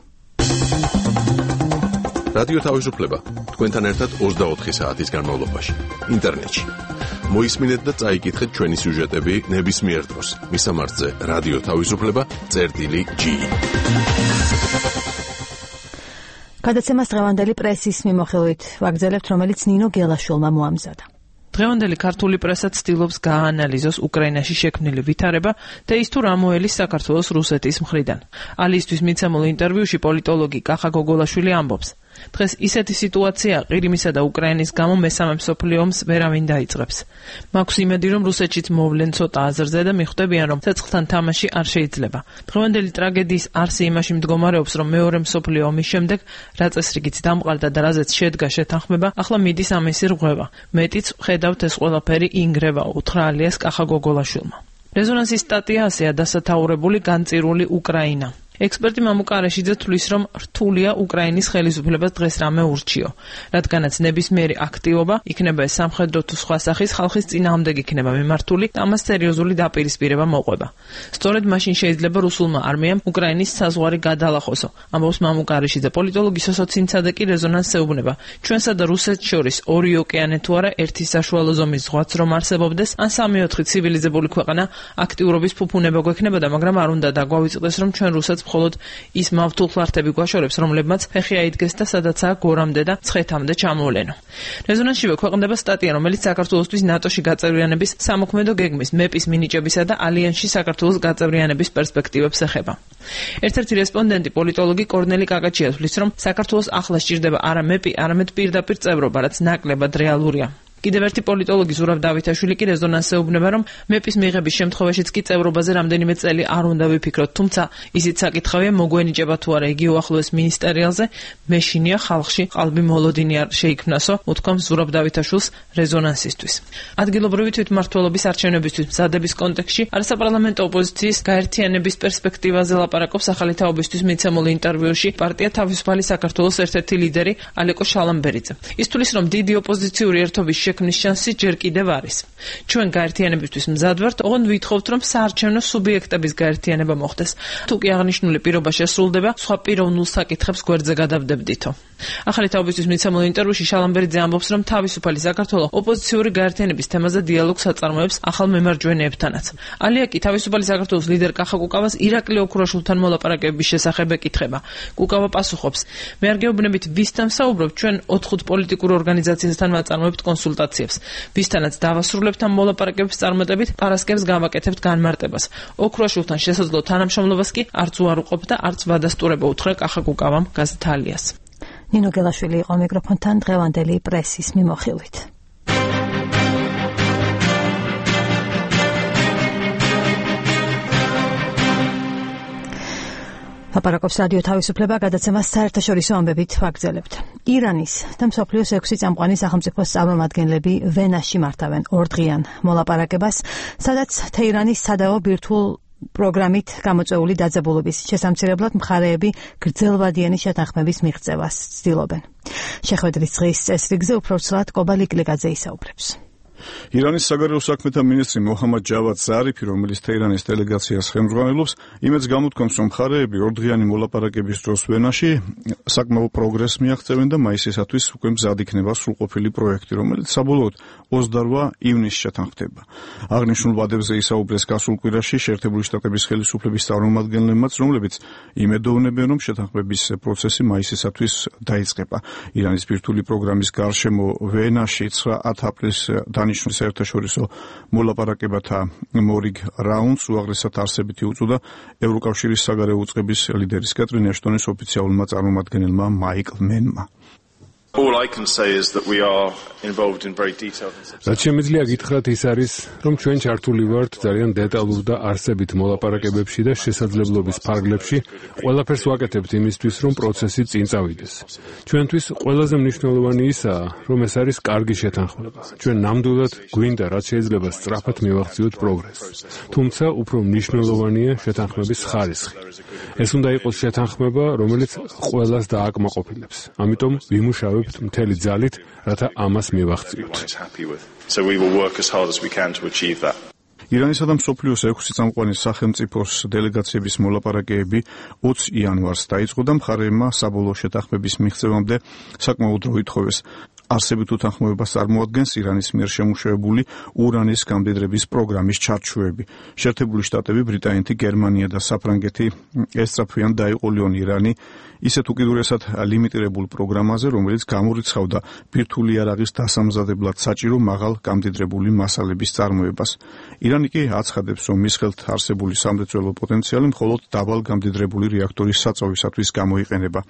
რადიო თავისუფლება თქვენთან ერთად 24 საათის განმავლობაში ინტერნეტში. მოისმინეთ და წაიკითხეთ ჩვენი სიუჟეტები ნებისმიერ დროს. მისამართზე რადიო თავისუფლება.gi. გადაცემას დღევანდელი პრესის მიმოხილვით ვაგრძელებთ, რომელიც ნინო გელაშვილმა მოამზადა. დღევანდელი ქართული პრესა ცდილობს გააანალიზოს უკრაინაში შექმნილი ვითარება და ის თუ რა მოელის საქართველოს რუსეთის მხრიდან. ალისთვის მიცემულ ინტერვიუში პოლიტოლოგი კახა გოგოლაშვილი ამბობს: დღეს ისეთი სიტუაცია ყირიმისა და უკრაინის გამო მესამე მსოფლიო ომს ვერავინ დაიწყებს. მაქვს იმედი, რომ რუსეთშიც მოვლენ ცოტა აზრზე და მიხვდებიან, რომ ცეცხლთან თამაში არ შეიძლება. დღევანდელი ტრაგედიის არსი იმაში მდგომარეობს, რომ მეორე მსოფლიო ომის შემდეგ რა წესრიგიც დამყარდა და რაზეც შედგა შეთანხმება, ახლა მიდის ამისი რღვევა. მეტიც ვხედავთ, ეს ყველაფერი ინგრევა, უთხრა ალიას კახა გოგოლაშვილმა. რეზონანსის სტატია ასეა დასათაურებული განწირული უკრაინა. ექსპერტი მამუკა არაშიძე თვლის, რომ რთულია უკრაინის ხელისუფლებას დღეს რამე ურჩიო, რადგანაც ნებისმიერი აქტივობა, იქნება ეს სამხედრო თუ სხვა სახის ხალხის წინააღმდეგ იქნება მიმართული და ამას სერიოზული დაპირისპირება მოყვება. სწორედ მაშინ შეიძლება რუსულმა არმიამ უკრაინის საზღვარი გადალახოსო, ამბობს მამუკა არაშიძე. პოლიტოლოგი სოსო ცინცადეკი რეზონანსს ეუბნება. ჩვენსა და რუსეთს შორის ორი ოკეანე თუ არა ერთი საშუალო ზომის ზღვაც რომ არსებობდეს, ან 3-4 ცივილიზებული ქვეყანა აქტიურობის ფუფუნება გვექნებოდა, მაგრამ არ უნდა დაგვავიწყდეს, რომ ჩვენ რუსეთს მხოლოდ ის მავთულხლართები გვაშორებს, რომლებმაც ფეხი აიდგეს და სადაცაა გორამდე და ცხეთამდე ჩამოვლენო. რეზონანსშივე ქვეყნდება სტატია, რომელიც საქართველოსთვის ნატოში გაწევრიანების სამოქმედო გეგმის, მეპის მინიჭებისა და ალიანსში საქართველოს გაწევრიანების პერსპექტივებს ეხება. ერთ-ერთი რესპონდენტი პოლიტოლოგი კორნელი კაკაჩია თვლის, რომ საქართველოს ახლა სჭირდება არა მეპი, არამედ პირდაპირ წევრობა, რაც ნაკლებად რეალურია. კიდევ ერთი პოლიტოლოგი ზურაბ დავითაშვილი კი რეზონანსზე უბნება, რომ მეპის მიღების შემთხვევაშიც კი წევრობაზე რამდენიმე წელი არ უნდა ვიფიქროთ, თუმცა ისიც საკითხავია მოგვენიჭება თუ არა იგი უახლოეს მინისტერიალზე, მეშინია ხალხში ყალბი მოლოდინი არ შეიქმნასო, უთქვამს ზურაბ დავითაშვილს რეზონანსისთვის. ადგილობრივი თვითმმართველობის არჩევნებისთვის მზადების კონტექსტში არასაპარლამენტო ოპოზიციის გაერთიანების პერსპექტივაზე ლაპარაკობს ახალი თაობისთვის მიცემულ ინტერვიუში პარტია თავისუფალი საქართველოს ერთ-ერთი ლიდერი ალეკო შალამბერიძე. ის თვლის, რომ დიდი ოპოზიციური ერთობის შექმნის შანსი ჯერ კიდევ არის. ჩვენ გაერთიანებისთვის მზად ვართ, ოღონდ ვითხოვთ, რომ საარჩევნო სუბიექტების გაერთიანება მოხდეს. თუ კი აღნიშნული პირობა შესრულდება, სხვა პიროვნულ საკითხებს გვერდზე გადავდებდითო. ახალი თაობისთვის მიცემულ ინტერვიუში შალამბერიძე ამბობს, რომ თავისუფალი საქართველო ოპოზიციური გაერთიანების თემაზე დიალოგს აწარმოებს ახალ მემარჯვენეებთანაც. ალია კი თავისუფალი საქართველოს ლიდერ კახა კუკავას ირაკლი ოქროშვილთან მოლაპარაკებების შესახებ ეკითხება. კუკავა პასუხობს: მე არ გეუბნებით ვისთან საუბრობთ, ჩვენ 4 პოლიტიკურ ორგანიზაციასთან ვაწარმოებთ კონსულტაციებს. ვისთანაც დავასრულებთ ამ მოლაპარაკებების წარმატებით, პარასკევს გავაკეთებთ განმარტებას. ოქროშვილთან შესაძლო თანამშრომლობას კი არც უარყოფ და არც ვადასტურება უთხრა კახა კუკავამ გაზეთ ალიას. ნინო გელაშვილი იყო მიკროფონთან დღევანდელი პრესის მიმოხილვით. ლაპარაკობს რადიო თავისუფლება, გადაცემას საერთაშორისო ამბებით ვაგრძელებთ. ირანის და მსოფლიოს 6 წამყვანი სახელმწიფოს წარმომადგენლები ვენაში მართავენ ორდღიან მოლაპარაკებას, სადაც თეირანის სადავო ბირთვულ პროგრამით გამოწვეული დაძაბულობის შესამცირებლად მხარეები გრძელვადიანი შეთანხმების მიღწევას ცდილობენ. შეხვედრის დღის წესრიგზე უფრო ცრად კობა ლიკლიგაძე ისაუბრებს. ირანის საგარეო საქმეთა მინისტრი მოჰამად ჯავად ზარიფი, რომელიც თეირანის დელეგაციას ხელმძღვანელობს, იმედს გამოთქვამს, რომ მხარეები ორდღიანი მოლაპარაკების დროს ვენაში საკმაო პროგრესს მიაღწევენ და მაისისათვის უკვე მზად იქნება სრულყოფილი პროექტი, რომელიც საბოლოოდ 28 ივნისს შეთანხმდება. აღნიშნულ ვადებზე ისაუბრეს გასულ კვირაში შეერთებული შტატების ხელისუფლების წარმომადგენლებმაც, რომლებიც იმედოვნებენ, რომ შეთანხმების პროცესი მაისისათვის დაიწყება. ირანის ბირთვული პროგრამის გარშემო ვენაში 9 აპრილს დანიშნულ საერთაშორისო მოლაპარაკებათა მორიგ რაუნდს უაღრესად არსებითი უწოდა ევროკავშირის საგარეო უწყების ლიდერის კატრინ ეშტონის ოფიციალურმა წარმომადგენელმა მაიკლ მენმა. All I can say is that we are involved in very detailed and რაც შემიძლია გითხრათ ის არის, რომ ჩვენ ჩართული ვართ ძალიან დეტალურ და არსებით მოლაპარაკებებში და შესაძლებლობის ფარგლებში, ყველაფერს ვაკეთებთ იმისთვის, რომ პროცესი წინ წავიდეს. ჩვენთვის ყველაზე მნიშვნელოვანი ისაა, რომ ეს არის კარგი შეთანხმება. ჩვენ ნამდვილად გვინდა რაც შეიძლება სწრაფად მივახციოთ პროგრესს. თუმცა უფრო მნიშვნელოვანია შეთანხმების ხარისხი. ეს უნდა იყოს შეთანხმება, რომელიც ყველას დააკმაყოფილებს. ამიტომ ვიმუშავებთ მთელი ძალით, რათა ამას მივახციოთ. So we will work as hard as we can to achieve that. ირანისა და მსოფლიოს 6 წამყვანი სახელმწიფოს დელეგაციების მოლაპარაკებები 20 იანვარს დაიწყო და მხარეებმა საბოლოო შეთანხმების მიღწევამდე საკმაო დრო ითხოვეს. არსებით უთანხმოებას წარმოადგენს ირანის მიერ შემუშავებული ურანის გამდიდრების პროგრამის ჩარჩოები. შეერთებული შტატები, ბრიტანეთი, გერმანია და საფრანგეთი ესწრაფვიან დაიყოლიონ ირანი ისეთ უკიდურესად ლიმიტირებულ პროგრამაზე, რომელიც გამორიცხავდა ბირთვული იარაღის დასამზადებლად საჭირო მაღალ გამდიდრებული მასალების წარმოებას. ირანი კი აცხადებს, რომ მის ხელთ არსებული სამრეწველო პოტენციალი მხოლოდ დაბალ გამდიდრებული რეაქტორის საწვავისათვის გამოიყენება.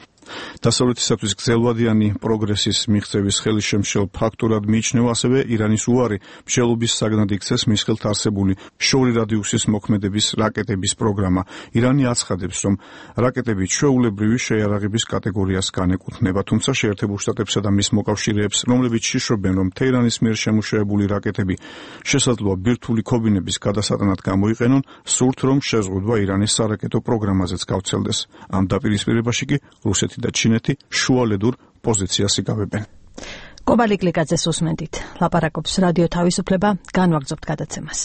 დასავლეთისათვის გრძელვადიანი პროგრესის მიღწევის ხელისშემშელ ფაქტურად მიიჩნევა ასევე ირანის უარი მშელობის საგნად იქცეს მის ხელთ არსებული შორი რადიუსის მოქმედების რაკეტების პროგრამა. ირანი აცხადებს, რომ რაკეტები ჩვეულებრივი შეიარაღების კატეგორიას განეკუთვნება, თუმცა შეერთებულ შტატებსა და მის მოკავშირეებს, რომლებიც შიშრობენ, რომ თეირანის მიერ შემუშავებული რაკეტები შესაძლოა ბირთვული ქობინების გადასატანად გამოიყენონ, სურთ, რომ შეზღუდვა ირანის სარაკეტო პროგრამაზეც გავრცელდეს. ამ დაპირისპირებაში კი რუსეთი და ჩინეთი შუალედურ პოზიციას იკავებენ. კობა ლიკლიგაძეს უსმენთ. ლაპარაკობს რადიო თავისუფლება, განვაგრძობთ გადაცემას.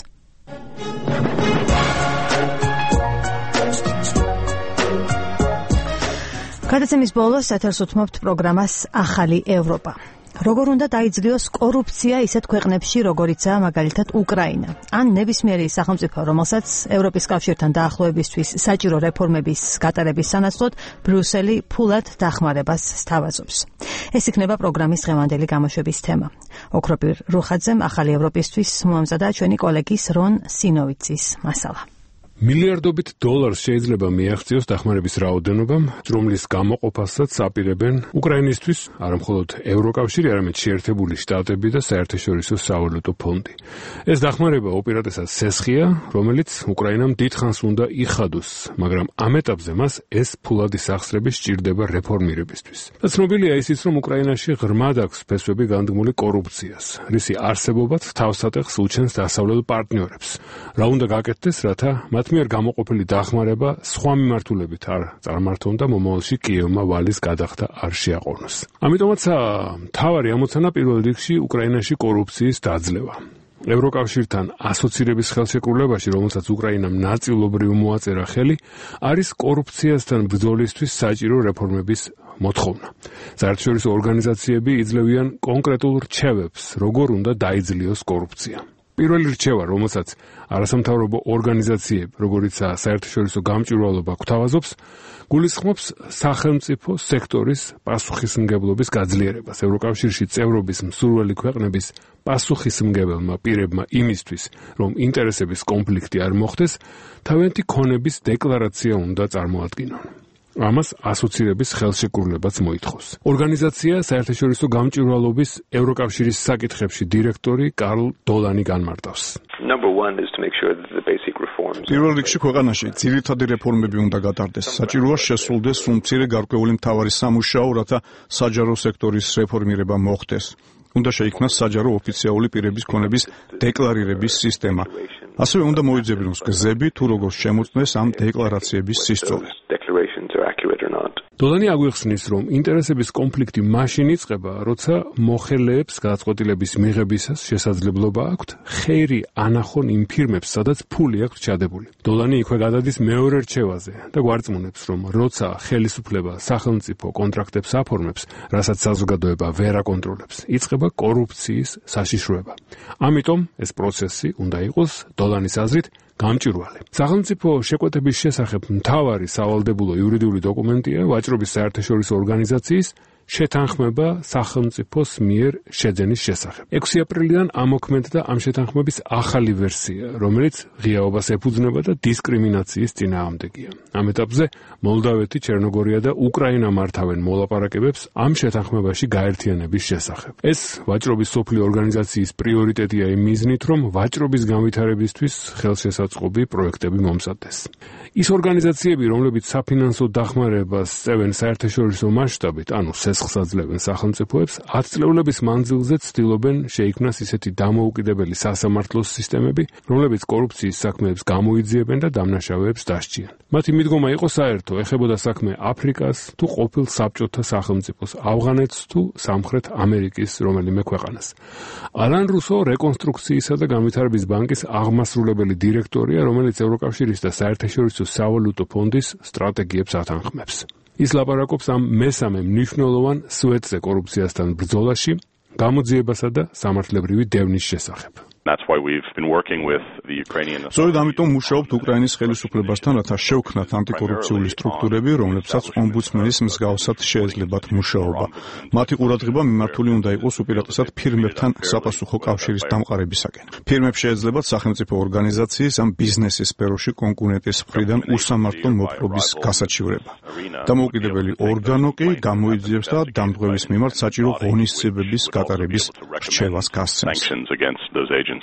გადაცემის ბოლოს ეთერს უთმობთ პროგრამას ახალი ევროპა. როგორ უნდა დაიძლიოს კორუფცია ისეთ ქვეყნებში, როგორიცაა მაგალითად უკრაინა, ან ნებისმიერი სახელმწიფო, რომელსაც ევროპის კავშირთან დაახლოებისთვის საჭირო რეფორმების გატარების სანაცვლოდ ბრიუსელი ფულად დახმარებას სთავაზობს. ეს იქნება პროგრამის დღევანდელი გამოშვების თემა. ოქროპირ რუხაძემ ახალი ევროპისთვის მოამზადა ჩვენი კოლეგის რონ სინოვიცის მასალა. მილიარდობით დოლარს შეიძლება მიაღწიოს დახმარების რაოდენობამ, რომლის გამოყოფასაც აპირებენ უკრაინისთვის არამხოლოდ ევროკავშირი, არამედ შეერთებული შტატები და საერთაშორისო სავალუტო ფონდი. ეს დახმარება უპირატესად სესხია, რომელიც უკრაინამ დიდხანს უნდა იხადოს, მაგრამ ამ ეტაპზე მას ეს ფულადი სახსრები სჭირდება რეფორმირებისთვის. და ცნობილია ისიც, რომ უკრაინაში ღრმად აქვს ფესვები განდმული კორუფციას, რისი არსებობაც თავსატეხს უჩენს დასავლელ პარტნიორებს. რა უნდა გაკეთდეს, რათა მათ მიერ გამოყოფილი დახმარება სხვა მიმართულებით არ წარმართონ და მომავალში კიევმა ვალის გადახდა არ შეაყოვნოს. ამიტომაც მთავარი ამოცანა პირველ რიგში უკრაინაში კორუფციის დაძლევა. ევროკავშირთან ასოცირების ხელშეკრულებაში, რომელსაც უკრაინამ ნაწილობრივ მოაწერა ხელი, არის კორუფციასთან ბრძოლისთვის საჭირო რეფორმების მოთხოვნა. საერთაშორისო ორგანიზაციები იძლევიან კონკრეტულ რჩევებს, როგორ უნდა დაიძლიოს კორუფცია. პირველი რჩევა, რომელსაც არასამთავრობო ორგანიზაციები, როგორიცაა საერთაშორისო გამჭვირვალობა გვთავაზობს, გულისხმობს სახელმწიფო სექტორის პასუხისმგებლობის გაძლიერებას. ევროკავშირში წევრობის მსურველი ქვეყნების პასუხისმგებელმა პირებმა იმისთვის, რომ ინტერესების კონფლიქტი არ მოხდეს, თავიანთი ქონების დეკლარაცია უნდა წარმოადგინონ. ამას ასოცირების ხელშეკრულებაც მოითხოვს. ორგანიზაცია საერთაშორისო გამჭვირვალობის ევროკავშირის საკითხებში დირექტორი კარლ დოლანი განმარტავს. პირველ რიგში ქვეყანაში ძირითადი რეფორმები უნდა გატარდეს. საჭიროა შესრულდეს უმცირე გარკვეული მთავარი სამუშაო, რათა საჯარო სექტორის რეფორმირება მოხდეს. უნდა შეიქმნას საჯარო ოფიციალური პირების ქონების დეკლარირების სისტემა. ასევე უნდა მოიძებნოს გზები, თუ როგორ შემოწმდეს ამ დეკლარაციების სისწრაფე. დოლანი აგვიხსნის, რომ ინტერესების კონფლიქტი მაშინ იწყება, როცა მოხელეებს გადაწყვეტილების მიღებისას შესაძლებლობა აქვთ ხეირი ანახონ იმ ფირმებს, სადაც ფული აქვთ ჩადებული. დოლანი იქვე გადადის მეორე რჩევაზე და გვარწმუნებს, რომ როცა ხელისუფლება სახელმწიფო კონტრაქტებს აფორმებს, რასაც საზოგადოება ვერ აკონტროლებს, იწყება კორუფციის საშიშროება. ამიტომ ეს პროცესი უნდა იყოს დოლანის აზრით გამჭვირვალე. სახელმწიფო შეკვეთების შესახებ მთავარი სავალდებულო იურიდიული დოკუმენტია ვაჭრობის საერთაშორისო ორგანიზაციის შეთანხმება სახელმწიფოს მიერ შეძენის შესახებ. 6 აპრილიდან ამოქმედდა ამ შეთანხმების ახალი ვერსია, რომელიც ღიაობას ეფუძნება და დისკრიმინაციის წინააღმდეგია. ამ ეტაპზე მოლდავეთი, ჩერნოგორია და უკრაინა მართავენ მოლაპარაკებებს ამ შეთანხმებაში გაერთიანების შესახებ. ეს ვაჭრობის სოფლიო ორგანიზაციის პრიორიტეტია იმ მიზნით, რომ ვაჭრობის განვითარებისთვის ხელშესაწყობი პროექტები მომზადდეს. ის ორგანიზაციები, რომლებიც საფინანსო დახმარებას წევენ საერთაშორისო მასშტაბით, ანუ სესხს აძლევენ სახელმწიფოებს, 10 წლეულების მანძილზე ცდილობენ შეიქმნას ისეთი დამოუკიდებელი სასამართლოს სისტემები, რომლებიც კორუფციის საქმეებს გამოიძიებენ და დამნაშავეებს დასჭიან. მათი მიდგომა იყო საერთო, ეხებოდა საქმე აფრიკას თუ ყოფილ საბჭოთა სახელმწიფოს, ავღანეთს თუ სამხრეთ ამერიკის რომელიმე ქვეყანას. ალან რუსო რეკონსტრუქციისა და განვითარების ბანკის აღმასრულებელი დირექტორია, რომელიც ევროკავშირის და საერთაშორისო სავალუტო ფონდის სტრატეგიებს ათანხმებს. ის ლაპარაკობს ამ მესამე მნიშვნელოვან სვეტზე კორუფციასთან ბრძოლაში, გამოძიებასა და სამართლებრივი დევნის შესახებ. სწორედ ამიტომ მუშაობთ უკრაინის ხელისუფლებასთან, რათა შევქმნათ ანტიკორუფციული სტრუქტურები, რომლებსაც ომბუდსმენის მსგავსად შეეძლებათ მუშაობა. მათი ყურადღება მიმართული უნდა იყოს უპირატესად ფირმებთან საპასუხო კავშირის დამყარებისაკენ. ფირმებს შეეძლებათ სახელმწიფო ორგანიზაციის ან ბიზნესის სფეროში კონკურენტის მხრიდან უსამართლო მოპყრობის გასაჩივრება. დამოუკიდებელი ორგანო კი გამოიძიებს და დამდგმელის მიმართ საჭირო ღონისძიებების გატარების რჩევას გასცემს.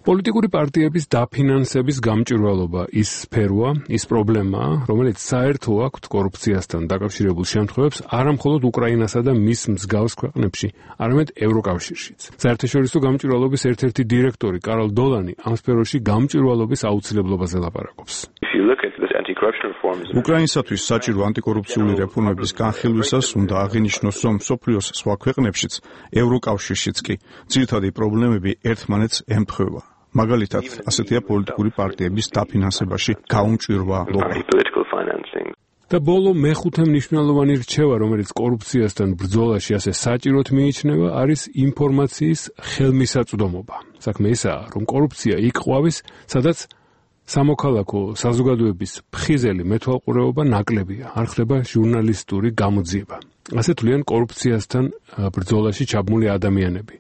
პოლიტიკური პარტიების დაფინანსების გამჭვირვალობა ის სფეროა, ის პრობლემაა, რომელიც საერთო აქვთ კორუფციასთან დაკავშირებულ შემთხვევებს არამხოლოდ უკრაინასა და მის მსგავს ქვეყნებში, არამედ ევროკავშირშიც. საერთაშორისო გამჭვირვალობის ერთ-ერთი დირექტორი კარლ დოლანი ამ სფეროში გამჭვირვალობის აუცილებლობაზე ლაპარაკობს. უკრაინისათვის საჭირო ანტიკორუფციული რეფორმების განხილვისას უნდა აღინიშნოს, რომ მსოფლიოს სხვა ქვეყნებშიც, ევროკავშირშიც კი ძირითადი პრობლემები ერთმანეთს ემთხვევა. მაგალითად, ასეთია პოლიტიკური პარტიების დაფინანსებაში გაუმჭვირვალობა. და ბოლო მეხუთე მნიშვნელოვანი რჩევა, რომელიც კორუფციასთან ბრძოლაში ასე საჭიროდ მიიჩნევა, არის ინფორმაციის ხელმისაწვდომობა. საქმე ისაა, რომ კორუფცია იქ ყვავის, სადაც სამოქალაქო საზოგადოების ფხიზელი მეთვალყურეობა ნაკლებია, არ ხდება ჟურნალისტური გამოძიება. ასე თვლიან კორუფციასთან ბრძოლაში ჩაბმული ადამიანები.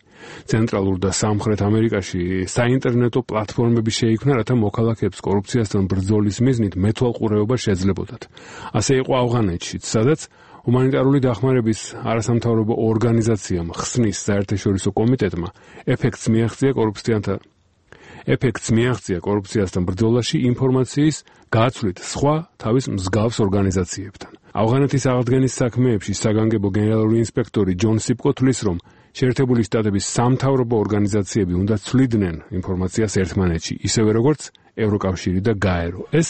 ცენტრალურ და სამხრეთ ამერიკაში საინტერნეტო პლატფორმები შეიქმნა, რათა მოქალაქეებს კორუფციასთან ბრძოლის მიზნით მეთვალყურეობა შეძლებოდათ. ასე იყო ავღანეთშიც, სადაც ჰუმანიტარული დახმარების არასამთავრობო ორგანიზაციამ ხსნის საერთაშორისო კომიტეტმა ეფექტს მიაღწია კორუფციასთან ბრძოლაში ინფორმაციის გაცვლით სხვა თავის მსგავს ორგანიზაციებთან. ავღანეთის აღდგენის საქმეებში საგანგებო გენერალური ინსპექტორი ჯონ სიპკო თვლის, რომ შეერთებული შტატების სამთავრობო ორგანიზაციები უნდა ცვლიდნენ ინფორმაციას ერთმანეთში, ისევე როგორც ევროკავშირი და გაერო. ეს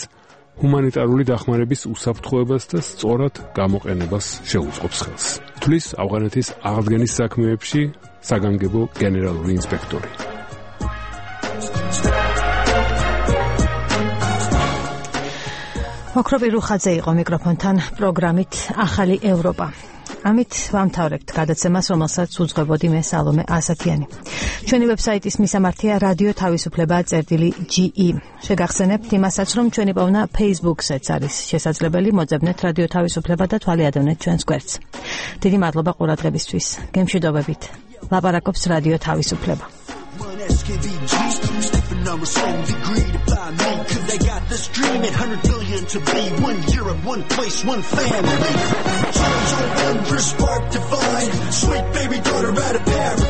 ჰუმანიტარული დახმარების უსაფრთხოებას და სწორად გამოყენებას შეუწყობს ხელს. თვლის ავღანეთის აღდგენის საქმეებში საგანგებო გენერალური ინსპექტორი. ოქროპი რუხაძე იყო მიკროფონთან პროგრამით ახალი ევროპა. ამით ვამთავრებთ გადაცემას, რომელსაც უძღვებოდი მე სალომე ასათიანი. ჩვენი ვებსაიტის მისამართია რადიო თავისუფლება წერტილი.ge. შეგახსენებთ იმასაც, რომ ჩვენი პოვნა Facebook-საც არის შესაძლებელი, მოძებნეთ რადიო თავისუფლება და თვალიადევნეთ ჩვენს გვერდს. დიდი მადლობა ყურადღებისთვის. გემშვიდობებით. ლაპარაკობს რადიო თავისუფლება. I'm a strong degree to buy me, cause they got this dream at 100 billion to be 1 Europe, 1 place, 1 family. Charles on wondrous spark divine, sweet baby daughter out of Paris.